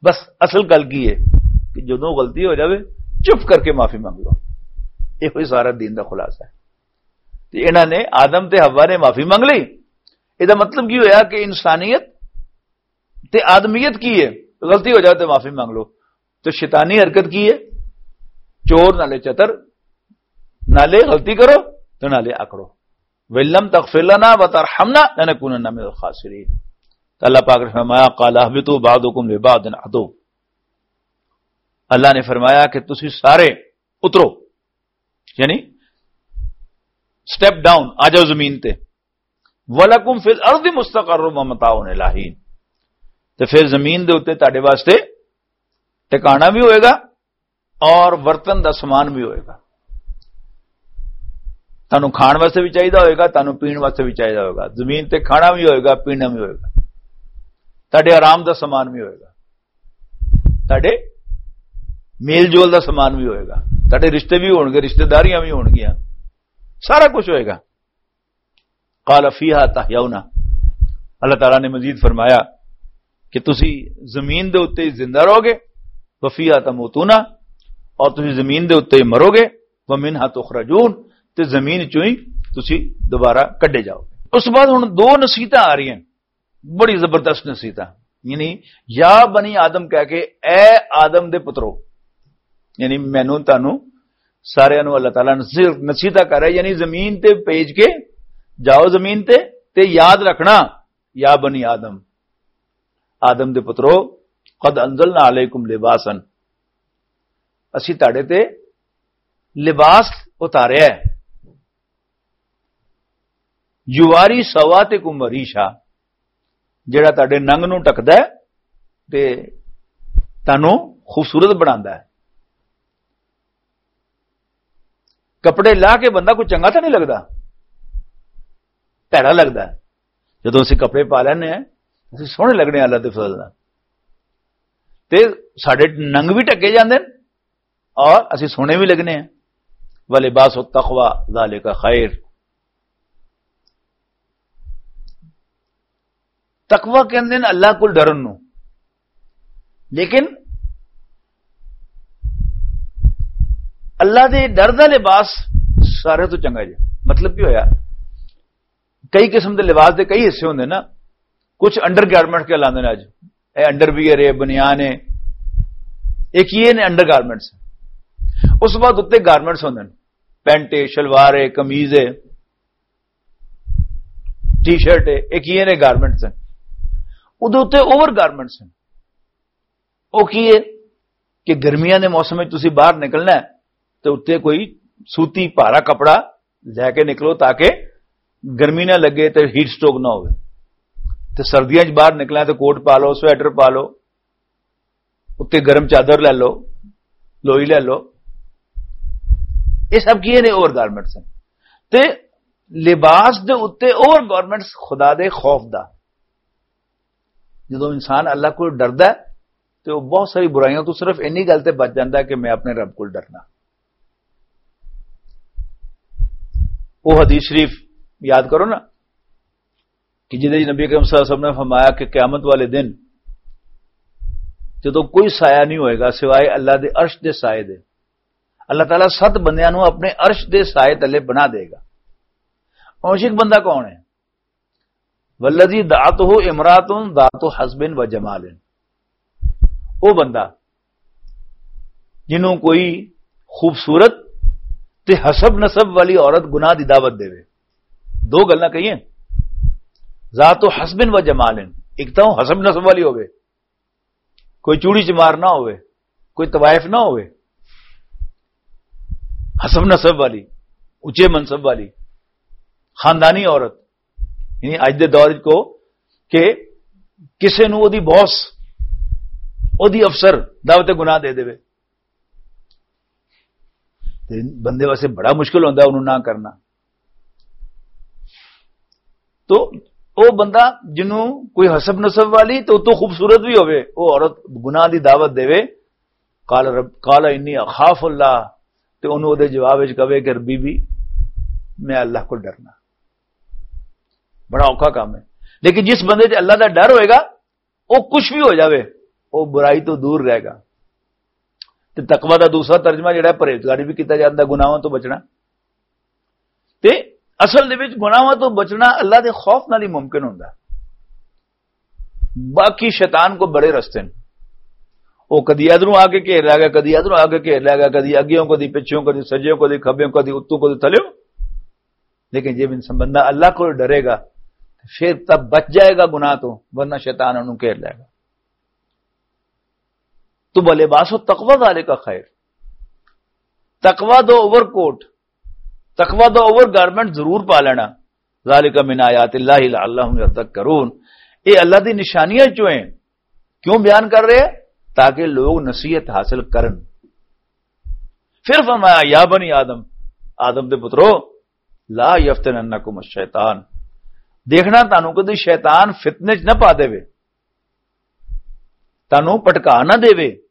بس اصل گل کی ہے کہ جدوں غلطی ہو جاوے، چپ کر کے معافی منگ لو۔ یہ کوئی سارا دین دا خلاصہ ہے۔ تے انہاں نے، آدم تے حوا نے معافی منگ لئی۔ یہ دا مطلب کی ہویا کہ انسانیت تے آدمیت کی ہے؟ غلطی ہو جائے تے معافی منگ لو۔ تے شیطانی حرکت کی ہے؟ چور نالے چتر، نالے غلطی کرو تے نالے آکڑو۔ وَإِن لَّمْ تَغْفِرْ لَنَا وَتَرْحَمْنَا لَنَكُونَنَّ مِنَ الْخَاسِرِينَ۔ تو اللہ پاک نے فرمایا، "قَالَ اهْبِطُوا بَعْضُكُمْ لِبَعْضٍ عَدُوٌّ۔" اللہ نے فرمایا کہ تسی سارے اترو، یعنی سٹیپ ڈاؤن، آ جاؤ زمین تے۔ "وَلَكُمْ فِي الْأَرْضِ مُسْتَقَرٌّ وَمَتَاعٌ إِلَىٰ حِينٍ۔" تے پھر زمین دے اوتے تہاڈے واسطے ٹھکانہ بھی ہوئے گا اور ورتن دا سامان بھی ہوئے گا۔ تانوں کھان واسطے بھی چاہیدا ہوئے گا، تانوں پین واسطے بھی چاہیدا ہوئے گا۔ زمین تے کھانا بھی ہوئے گا، پینا بھی ہوئے گا۔ تہاڈے آرام دا سامان بھی ہوئے گا، تہاڈے میل جول دا سامان بھی ہوئے گا، تہاڈے رشتے بھی ہون گے، رشتے داریاں بھی ہون گیاں، سارا کچھ ہوئے گا۔ قال فیہا تحیون۔ اللہ تعالیٰ نے مزید فرمایا کہ تسی زمین دے اُتے ہی زندہ رہو گے، وفیہا تموتون، اور تسی زمین دے اُتے ہی مرو گے، ومنہا تخرجون، تے زمین چوں ہی تسی دوبارہ کڈے جاؤ گے۔ اس بعد ہن دو نصیحتاں آ رہی ہیں، بڑی زبردست نصیحتاں، یعنی یا بنی آدم کہہ کے، اے آدم دے پترو، یعنی مینوں تانوں سارے نوں اللہ تعالیٰ نصیحت، نصیحتاں کر رہا ہے، یعنی زمین تے بھیج کے جاؤ زمین تے، تے یاد رکھنا، یا بنی آدم، آدم دے پترو، قد انزلنا علیکم لباسا، اسی تہاڈے تے لباس اتاریا ہے، یواری سواتکم وریشا، جڑا تہاڈے ننگ نوں ٹکدا ہے تے تانوں خوبصورت بناندا ہے۔ کپڑے لا کے بندہ کوئی چنگا تاں نہیں لگدا، بھیڑا لگدا ہے۔ جدوں اسی کپڑے پا لینے ہیں، اسی سوہنے لگنے ہیں اللہ دے فضل نال۔ تے ساڈے ننگ بھی ٹکے جاندے نے اور اسی سوہنے بھی لگنے ہیں۔ ولباس التقوی ذالک خیر۔ تقوی کہندے نے اللہ کول ڈرن نو، لیکن اللہ دے ڈر دا لباس سارے تو چنگا جی۔ مطلب کی ہویا؟ کئی قسم دے لباس دے کئی حصے ہوندے نا، کچھ انڈر گارمنٹ کے لاندے نے۔ اج اے انڈر ویئر ہے، بنیان ہے، اے کی نے؟ Under garments. اس بعد اتنے گارمنٹس ہوندے نے، پینٹ ہے، شلوار ہے، قمیض ہے، ٹی شرٹ ہے، اے کی نے؟ گارمنٹس ہیں۔ ادھر اتنے اوور گارمنٹس ہیں۔ او کی ہے کہ گرمیاں دے موسم وچ تسی باہر نکلنا ہے تے اتنے کوئی سوتی بھارا کپڑا لے کے نکلو تاکہ گرمی نہ لگے تے ہیٹ سٹروک نہ ہوئے۔ تے سردیاں وچ باہر نکلنا ہے تے کوٹ پا لو، سویٹر پا لو، اتنے گرم چادر لے لو، لوئی لے لو۔ یہ سب کی نے؟ اوور گارمنٹس ہیں۔ تے لباس دے اتنے اوور گارمنٹس خدا دے خوف دا۔ جدوں انسان اللہ کو ڈردا ہے تے وہ بہت ساری برائیاں تو صرف اینی گل تے بچ جاندا ہے کہ میں اپنے رب کو ڈرنا۔ وہ حدیث شریف یاد کرو نا، کہ جدے نبی اکرم صلی اللہ علیہ وسلم نے فرمایا کہ قیامت والے دن جدوں کوئی سایہ نہیں ہوئے گا سوائے اللہ دے عرش دے سائے دے، اللہ تعالیٰ ست بندیاں نوں اپنے عرش دے سائے تلے بنا دے گا۔ عاشق بندہ کون ہے؟ والذی دعته امرأة ذات حسب و جمال۔ او بندہ جنوں کوئی خوبصورت تے حسب نسب والی عورت گناہ دی دعوت دے، دو گلاں کہیے، ذات حسب و جمال، ایک تو حسب نسب والی ہوے، کوئی چوڑی چمار نہ ہوے، کوئی طوائف نہ ہوے، حسب نسب والی، اچے منصب والی، خاندانی عورت، یعنی اج دے دور وچ کو کہ کسے نو اودی باس، اودی افسر دعوت گناہ دے دے، تے بندے واسطے بڑا مشکل ہوندا انہوں نہ کرنا۔ تو او بندہ جنوں کوئی حسب نسب والی تو اتوں خوبصورت بھی ہوے، او عورت گناہ دی دعوت دے، قال رب، قال انی اخاف اللہ، تے انہوں دے جواب وچ کہے کہ بی بی، میں اللہ کو ڈرنا۔ بڑا اوکھا کام ہے۔ لیکن جس بندے تے اللہ دا ڈر ہوئے گا، وہ کچھ بھی ہو جاوے، وہ برائی تو دور رہے گا۔ تے تقوی دا دوسرا ترجمہ جڑا ہے، پرہیزگاری بھی کیتا جاندا، گناہوں تو بچنا۔ تے اصل دے وچ گناہوں تو بچنا اللہ دے خوف نال ہی ممکن ہوندا۔ باقی شیطان کو بڑے رستے نے، وہ کدی ادھروں آ کے گھیر لے گا، کدی ادھروں آ کے گھیر لے گا، کدی اگیوں، کدی پچھوں، کدی سجیوں، کدی کھبیوں، کدی اتوں، کدی تھلیوں۔ لیکن جے انسان بندہ اللہ کو ڈرے گا، پھر تب بچ جائے گا گناہ تو، ورنہ شیطان انہوں گھیر لے گا۔ تو بلے باس و تقوی ذالک خیر۔ تقوی دو اوور کوٹ، تقوی دو اوور گارمنٹ ضرور پا لینا۔ ذالک من آیات اللہ لعلہم یذکرون۔ اے اللہ دی نشانیاں چوں ہیں۔ کیوں بیان کر رہے ہیں؟ تاکہ لوگ نصیحت حاصل کرن۔ پھر فرمایا، یا بنی آدم، آدم دے پترو، لا یفتننکم الشیطان، دیکھنا تانوں کدی شیطان فتنے چ نہ پا دے، تانوں پٹکا نہ دے،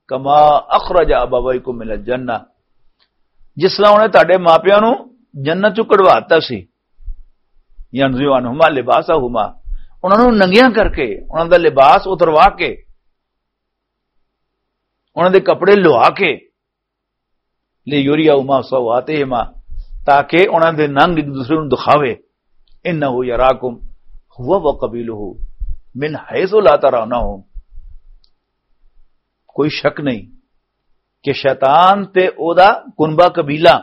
کما اخرج ابویکم من الجنہ، جس طرح انہیں تہاڈے ماپیاں نوں جنت چوں کڈوا دتا سی، ینزع عنہما لباسہما، انہاں نوں ننگیاں کر کے، انہاں دا لباس اتروا کے، انہاں دے کپڑے لوا کے، لیریہما سوآتہما، تاکہ انہاں دے ننگ ایک دوسرے نوں دکھاوے۔ انہ یراکم ہوا و قبیلہ من حیث لا ترونہم۔ کوئی شک نہیں کہ شیطان تے او دا کنبہ قبیلہ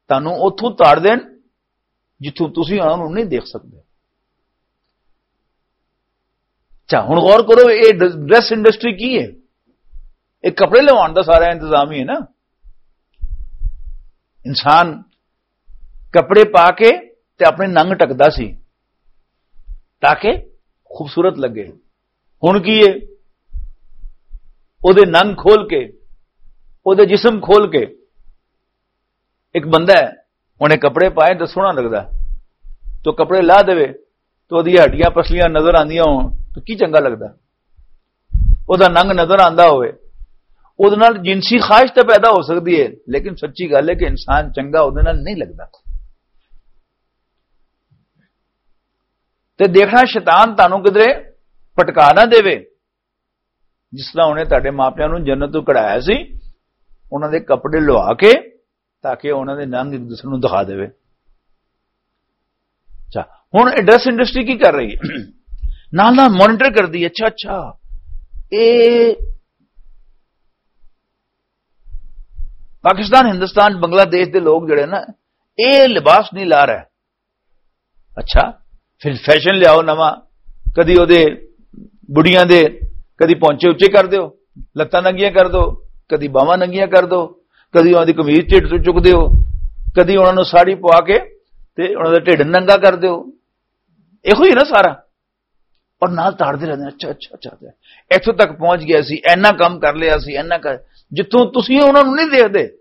تانوں اوتھوں تاڑ دین جتھوں تسی انہاں نوں نہیں دیکھ سکدے۔ اچھا، ہن غور کرو، اے ڈ-، ڈریس انڈسٹری کی ہے؟ اے کپڑے لوان دا سارا انتظام ہی ہے نا۔ انسان کپڑے پا کے تے اپنے ننگ ٹکدا سی تاکہ خوبصورت لگے۔ ہن کی ہے؟ او دے ننگ کھول کے، او دے جسم کھول کے، ایک بندہ ہے، انہیں کپڑے پائے تو سوہنا لگدا، تو کپڑے لا دے تو اودیاں ہڈیاں پسلیاں نظر آندیاں ہون تو کی چنگا لگدا؟ او دا ننگ نظر آندا ہوئے، او دے نال جنسی خواہش تے پیدا ہو سکدی ہے، لیکن سچی گل ہے کہ انسان چنگا او دے نال نہیں لگدا۔ تے دیکھنا شیطان تانوں کدرے پٹکا نہ دے، جس طرح انہیں تہاڈے ماپیاں نوں جنت تو کڑایا سی، انہاں دے کپڑے لوا کے، تاکہ انہاں دے ننگ ایک دوسرے نوں دکھا دے۔ اچھا، ہن ایڈریس انڈسٹری کی کر رہی ہے؟ نال نال مانیٹر کر دی۔ اچھا، اچھا، اے پاکستان، ہندوستان، بنگلہ دیش دے لوگ جڑے نا، اے لباس نہیں لا رہے۔ اچھا، پھر فیشن لیاؤ نواں، کدی او دے بڑیاں دے، کدی پہنچے اچے کر دیو، لتاں ننگیاں کر دو، کدی باواں ننگیاں کر دو، کدی انہاں دی قمیض ٹھڈ تو چک دیو، کدی انہاں نوں ساڑی پوا کے تے انہاں دا ٹھڈ ننگا کر دیو۔ ایہو ہی نا سارا۔ اور نال تاڑدے رہندے نے، اچھا، اچھا، اچھا، اچھا۔ ایتھوں تک پہنچ گیا سی، اینا کم کر لیا سی، اینا کر، جتھوں تسی انہاں نوں نہیں دیکھدے،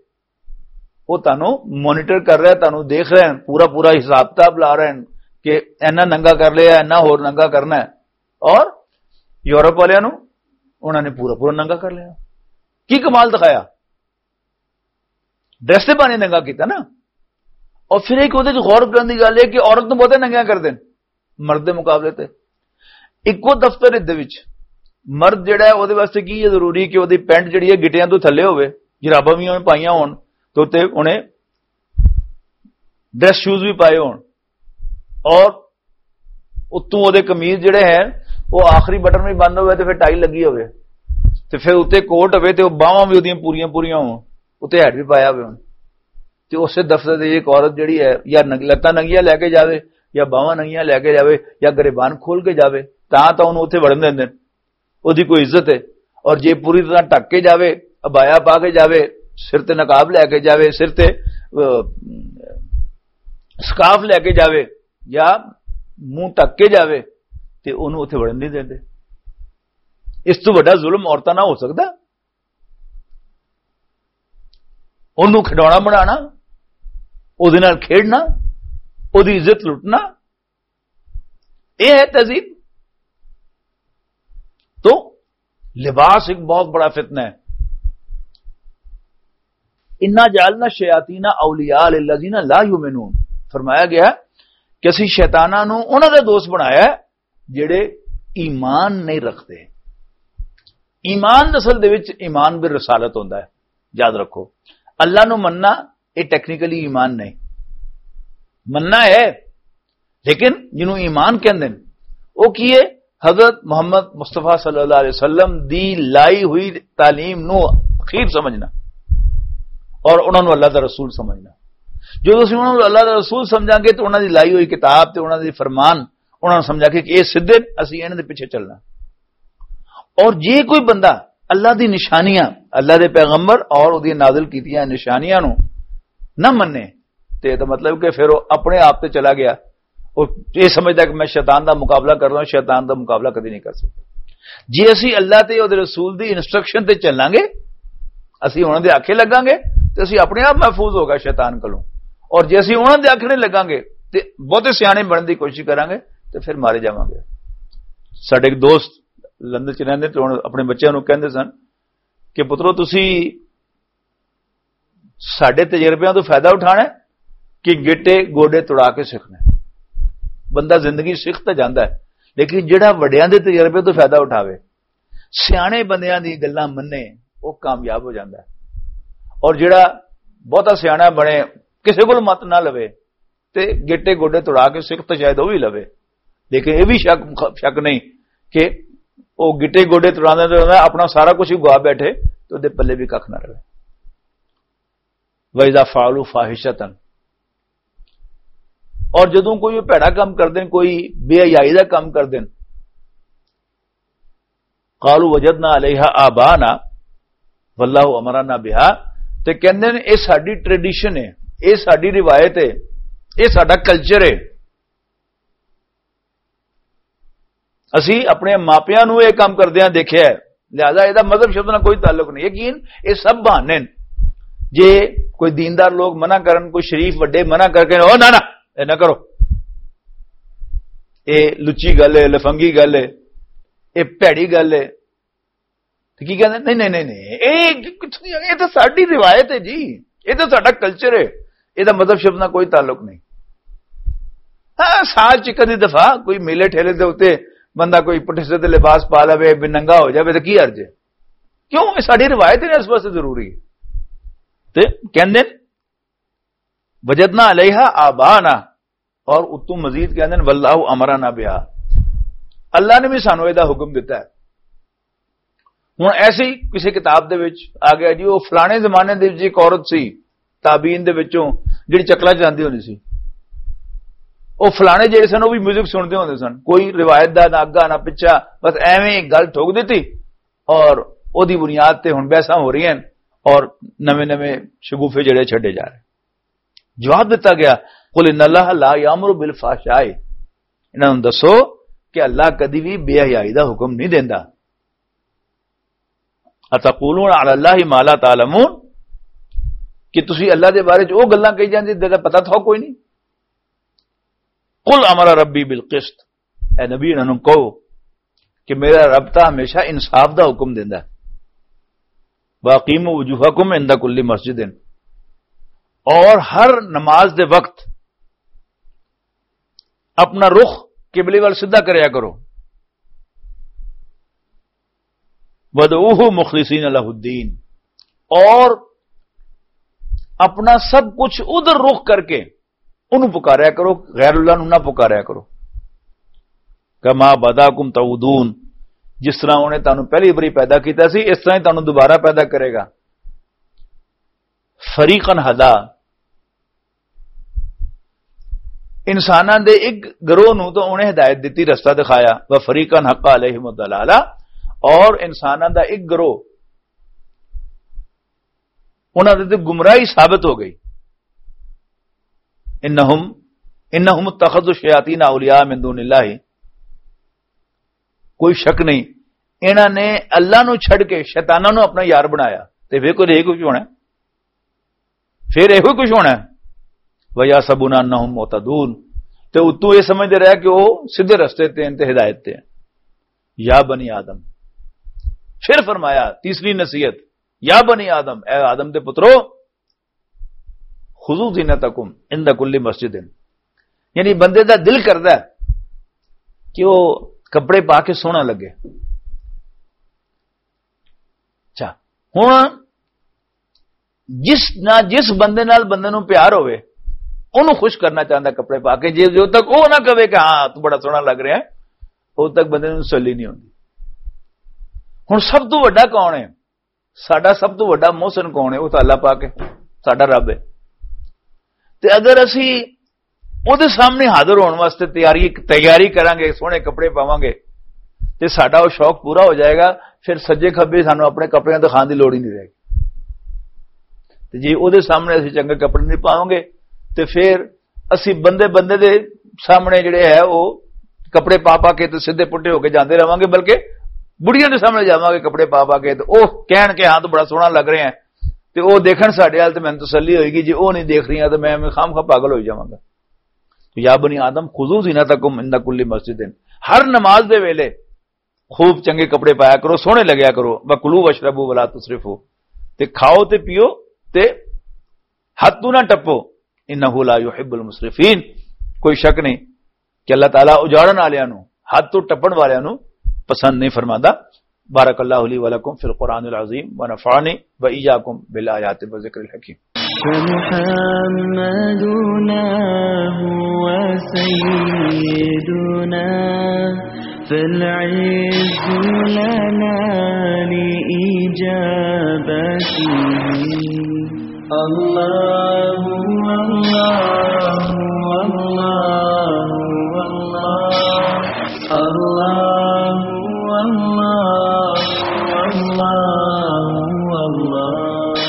وہ تانوں مانیٹر کر رہے ہیں، تانوں دیکھ رہے ہیں، پورا پورا حساب کتاب لا رہے ہیں کہ اینا ننگا کر لیا، اینا ہور ننگا کرنا ہے۔ اور یورپ والے نوں انہاں نے پورا پورا ننگا کر لیا۔ کی کمال دکھایا؟ ڈریس تے پانی ننگا کیتا نا۔ اور پھر ایک اودے چ غور کرن دی گل ہے کہ عورت نوں بہتے ننگیاں کر دین مرد دے مقابلے تے۔ اکو دفتر دے وچ مرد جڑا ہے، اودے واسطے کی یہ ضروری کہ اودی پینٹ جڑی ہے گٹیاں تو تھلے ہوئے، جراباں بھی انہیں پائیاں ہون، تو تے انہیں ڈریس شوز بھی پائے ہون، اور اتوں اودے قمیض جڑے ہیں، وہ آخری بٹن بھی بند ہوئے تے پھر ٹائی لگی ہوئے، تے پھر اتنے کوٹ ہوئے تے وہ باہواں بھی اودیاں پوریاں پوریاں ہون، اتنے ہیڈ بھی پایا ہوئے ہون۔ تے اسے دفتر دی ایک عورت جڑی ہے، یا ننگ-، لتاں ننگیاں لے کے جاوے، یا باہواں ننگیاں لے کے جاوے، یا گریبان کھول کے جاوے، تاں تاں انہوں اتنے وڑن دیندے۔ اودی کوئی عزت ہے۔ اور جے پوری طرح ڈھک کے جاوے، ابایا پا کے جاوے، سر تے نقاب لے کے جاوے، سر تے، آ، سکارف لے کے جاوے، یا منہ ڈھک کے جاوے، تے انہوں اتنے وڑن نہیں دیندے۔ اس تو بڑا ظلم عورتاں نہ ہو سکدا؟ انہوں کھڈونا بنانا، اودے نال کھیڈنا، اودی عزت لٹنا، یہ ہے تہذیب؟ تو لباس ایک بہت بڑا فتنہ ہے۔ انا جعلنا الشیاطین اولیاء للذین لا یؤمنون۔ فرمایا گیا کہ اسی شیطاناں نوں انہاں دا دوست بنایا ہے جڑے ایمان نہیں رکھتے۔ ایمان اصل دے وچ ایمان بالرسالت ہوندا ہے، یاد رکھو۔ اللہ نو مننا، یہ ٹیکنیکلی ایمان نہیں۔ مننا ہے، لیکن جنوں ایمان کہندے نے، وہ کی ہے؟ حضرت محمد مصطفیٰ صلی اللہ علیہ وسلم دی لائی ہوئی تعلیم نو اخیر سمجھنا اور انہاں نو اللہ دا رسول سمجھنا۔ جو تسی انہاں نو اللہ دا رسول سمجھاں گے تو انہاں دی لائی ہوئی کتاب تے انہاں دی فرمان انہاں نوں سمجھا کہ یہ سدھے، اسی انہاں دے پیچھے چلنا۔ اور جے کوئی بندہ اللہ دی نشانیاں، اللہ دے پیغمبر اور اودی نازل کیتیاں نشانیاں نوں نہ منے، تے یہ مطلب کہ پھر وہ اپنے آپ تے چلا گیا۔ وہ یہ سمجھدا کہ میں شیطان دا مقابلہ کر رہا ہوں، شیطان دا مقابلہ کدی نہیں کر سکتا۔ جے اسی اللہ تے اودے رسول دی انسٹرکشن تے چلاں گے، اسی انہاں دے آکھے لگاں گے، تے اسی اپنے آپ محفوظ ہوگا شیطان کولوں۔ اور جے اسی انہاں دے آکھنے لگاں گے تے بہتے سیانے بنن دی کوشش کراں گے، تے پھر مارے جاواں گے۔ ساڈے ایک دوست لندن چ رہندے تے ہن اپنے بچیاں نوں کہندے سن کہ پترو، تسی ساڈے تجربیاں تو فائدہ اٹھانا ہے کہ گٹے گوڈے تڑا کے سیکھنا ہے۔ بندہ زندگی سیکھ تے جاندا ہے، لیکن جڑا وڈیاں دے تجربے تو فائدہ اٹھاوے، سیانے بندیاں دی گلاں منے، وہ کامیاب ہو جاندا ہے۔ اور جڑا بہتا سیانا بنے، کسے کول مت نہ لوے، تے گٹے گوڈے تڑا کے سکھ تے شاید وہ بھی لوے۔ لیکن یہ بھی شک، شک نہیں کہ وہ گٹے گوڈے تڑاندے تڑاندے اپنا سارا کچھ ہی گوا بیٹھے، تے اودے پلے بھی ککھ نہ رہے۔ وَإِذَا فَعَلُوا فَاحِشَةً، اور جدوں کوئی بھڑا کم کردے، کوئی بے حیائی دا کم کردے، قالوا وجدنا علیہا آبانا واللہ امرنا بہا، تے کہندے نے، "اے ساڈی ٹریڈیشن ہے، اے ساڈی روایت ہے، اے ساڈا کلچر ہے، اسی اپنے ماپیاں نوں اے کام کردیاں دیکھیا ہے۔" لہذا اے دا مذہب شبد نال کوئی تعلق نہیں۔ یقین، اے سب بہانے نے۔ جے کوئی دیندار لوگ منع کرن، کوئی شریف وڈے منع کر کے، "او نہ، نہ، اے نہ کرو، اے لچی گل ہے، لفنگی گل ہے، اے بھڑی گل ہے۔" تے کی کہندے؟ نہیں، نہیں، نہیں، نہیں، اے کتھوں دی آ گئی؟ اے تے ساڈی روایت ہے جی، اے تے ساڈا کلچر ہے، اے دا مذہب شبد نال کوئی تعلق نہیں۔ ہاں، سال چ کدی دفعہ کوئی میلے ٹھیلے دے اُتے بندہ کوئی پٹھے سیدھے لباس پا لوے، بے ننگا ہو جاوے تے کی حرج ہے؟ کیوں؟ اے ساڈی روایت ہے، اس واسطے ضروری ہے۔ تے کہندے، "وجدنا علیہا آبانا"، اور اتوں مزید کہندے نے، "واللہ امرنا بہا"، اللہ نے بھی سانو اے دا حکم دتا ہے۔ ہن ایسے ہی کسی کتاب دے وچ آ گیا جی، وہ فلانے زمانے دے وچ ایک عورت سی تابعین دے وچوں، جڑی چکلا چلاندی ہوندی سی۔ وہ فلانے جڑے سن، وہ بھی میوزک سنتے ہوندے سن، کوئی روایت دا نہ اگا نہ پچھا، بس ایویں ہی گل ٹھوک دتی اور اودی بنیاد تے ہن بحثاں ہو رہی ہیں اور نویں نویں شگوفے جڑے چھڈے جا رہے۔ جواب دتا گیا، "قل ان اللہ لا یامر بالفحشاء"، انہاں نوں دسو کہ اللہ کدی بھی بے حیائی دا حکم نہیں دیندا۔ "اتقولون علی اللہ ما لا تعلمون"، کہ تسی اللہ دے بارے چ او گلاں کہی جاندے جس دا پتہ تھا کوئی نہیں۔ "قل امر ربی بالقسط"، اے نبی، انہاں نوں کہو کہ میرا رب تاں ہمیشہ انصاف دا حکم دیندا ہے۔ "واقیموا وجوہکم عند کل مسجد"، اور ہر نماز دے وقت اپنا رخ قبلے وال سیدھا کریا کرو۔ وَادْعُوهُ مُخْلِصِينَ لَهُ الدِّينَ، اور اپنا سب کچھ ادھر رخ کر کے انہوں پکاریا کرو، غیر اللہ نوں نہ پکاریا کرو۔ کما بداکم تعودون، جس طرح انہیں تانوں پہلی باری پیدا کیتا سی، اس طرح ہی تانوں دوبارہ پیدا کرے گا۔ فریقاً ہدا، انساناں دے ایک گروہ نوں تو انہیں ہدایت دتی، رستہ دکھایا، و فریقاً حق علیہم الضلالہ، اور انساناں دا ایک گروہ انہاں دے تے گمراہی ثابت ہو گئی۔ انہم انہم اتخذوا الشیاطین اولیاء من دون اللہ، کوئی شک نہیں، انہاں نے اللہ نو چھڈ کے شیطاناں نو اپنا یار بنایا۔ تے پھر کوئی یہ کچھ ہونا ہے؟ پھر یہ کچھ ہونا ہے؟ وَيَحْسَبُونَ أَنَّهُمْ مُهْتَدُونَ، تے اتوں یہ سمجھتے رہے کہ وہ سیدھے رستے تے ہیں تے ہدایت تے ہیں۔ یا بنی آدم، پھر فرمایا تیسری نصیحت، یا بنی آدم، اے آدم دے پترو، خذوا زینتکم عند کل مسجد، یعنی بندے دا دل کردا ہے کہ وہ کپڑے پا کے سونا لگے۔ اچھا، ہن جس نہ جس بندے نال بندے نوں پیار ہوئے، اونوں خوش کرنا چاہندا کپڑے پا کے، جے جو تک وہ نہ کہے کہ ہاں تو بڑا سونا لگ رہا ہے، وہ تک بندے نوں تسلی نہیں ہوندی۔ ہن سب تو وڈا کون ہے؟ ساڈا سب تو وڈا محسن کون ہے؟ وہ تو اللہ پاک ہے، ساڈا رب ہے۔ تے اگر اسی اودے سامنے حاضر ہون واسطے تیاری تیاری کراں گے، سوہنے کپڑے پاواں گے، تے ساڈا وہ شوق پورا ہو جائے گا۔ پھر سجے کھبے سانوں اپنے کپڑیاں دکھان دی لوڑ ہی نہیں رہے گی۔ تے جے اودے سامنے اسی چنگے کپڑے نہیں پاواں گے، تے پھر اسی بندے بندے دے سامنے جڑے ہے وہ کپڑے پا پا کے تے سیدھے پٹے ہو کے جاندے رہواں گے، بلکہ بڑھیاں دے سامنے جاواں گے کپڑے پا پا کے، تے وہ کہن کہ ہاں تو بڑا سوہنا لگ رہے ہیں، تے وہ دیکھن ساڈے حال، تے مینوں تسلی ہوئے گی، جے وہ نہیں دیکھ رہی ہیں تو میں ایویں خام خواہ پاگل ہوئی جاواں گا۔ تو یا بنی آدم خذوا زینتکم عند کل مسجد، ہر نماز دے ویلے خوب چنگے کپڑے پایا کرو، سوہنے لگیا کرو۔ وکلوا واشربوا ولا تسرفوا، تے کھاؤ تے پیو، تے حد تو نہ ٹپو۔ انہ لا یحب المسرفین، کوئی شک نہیں کہ اللہ تعالیٰ اجاڑن والیاں نوں، حد تو ٹپن والیاں نوں پسند نہیں فرماندا۔ بارک اللہ لی ولکم فی القرآن العظیم ونفعنی وإیاکم بالآیات والذکر الحکیم۔ فمحمدنا هو سيدنا، فالعز لنا لإجابته۔ الله، الله، الله، الله، الله، الله، الله، الله۔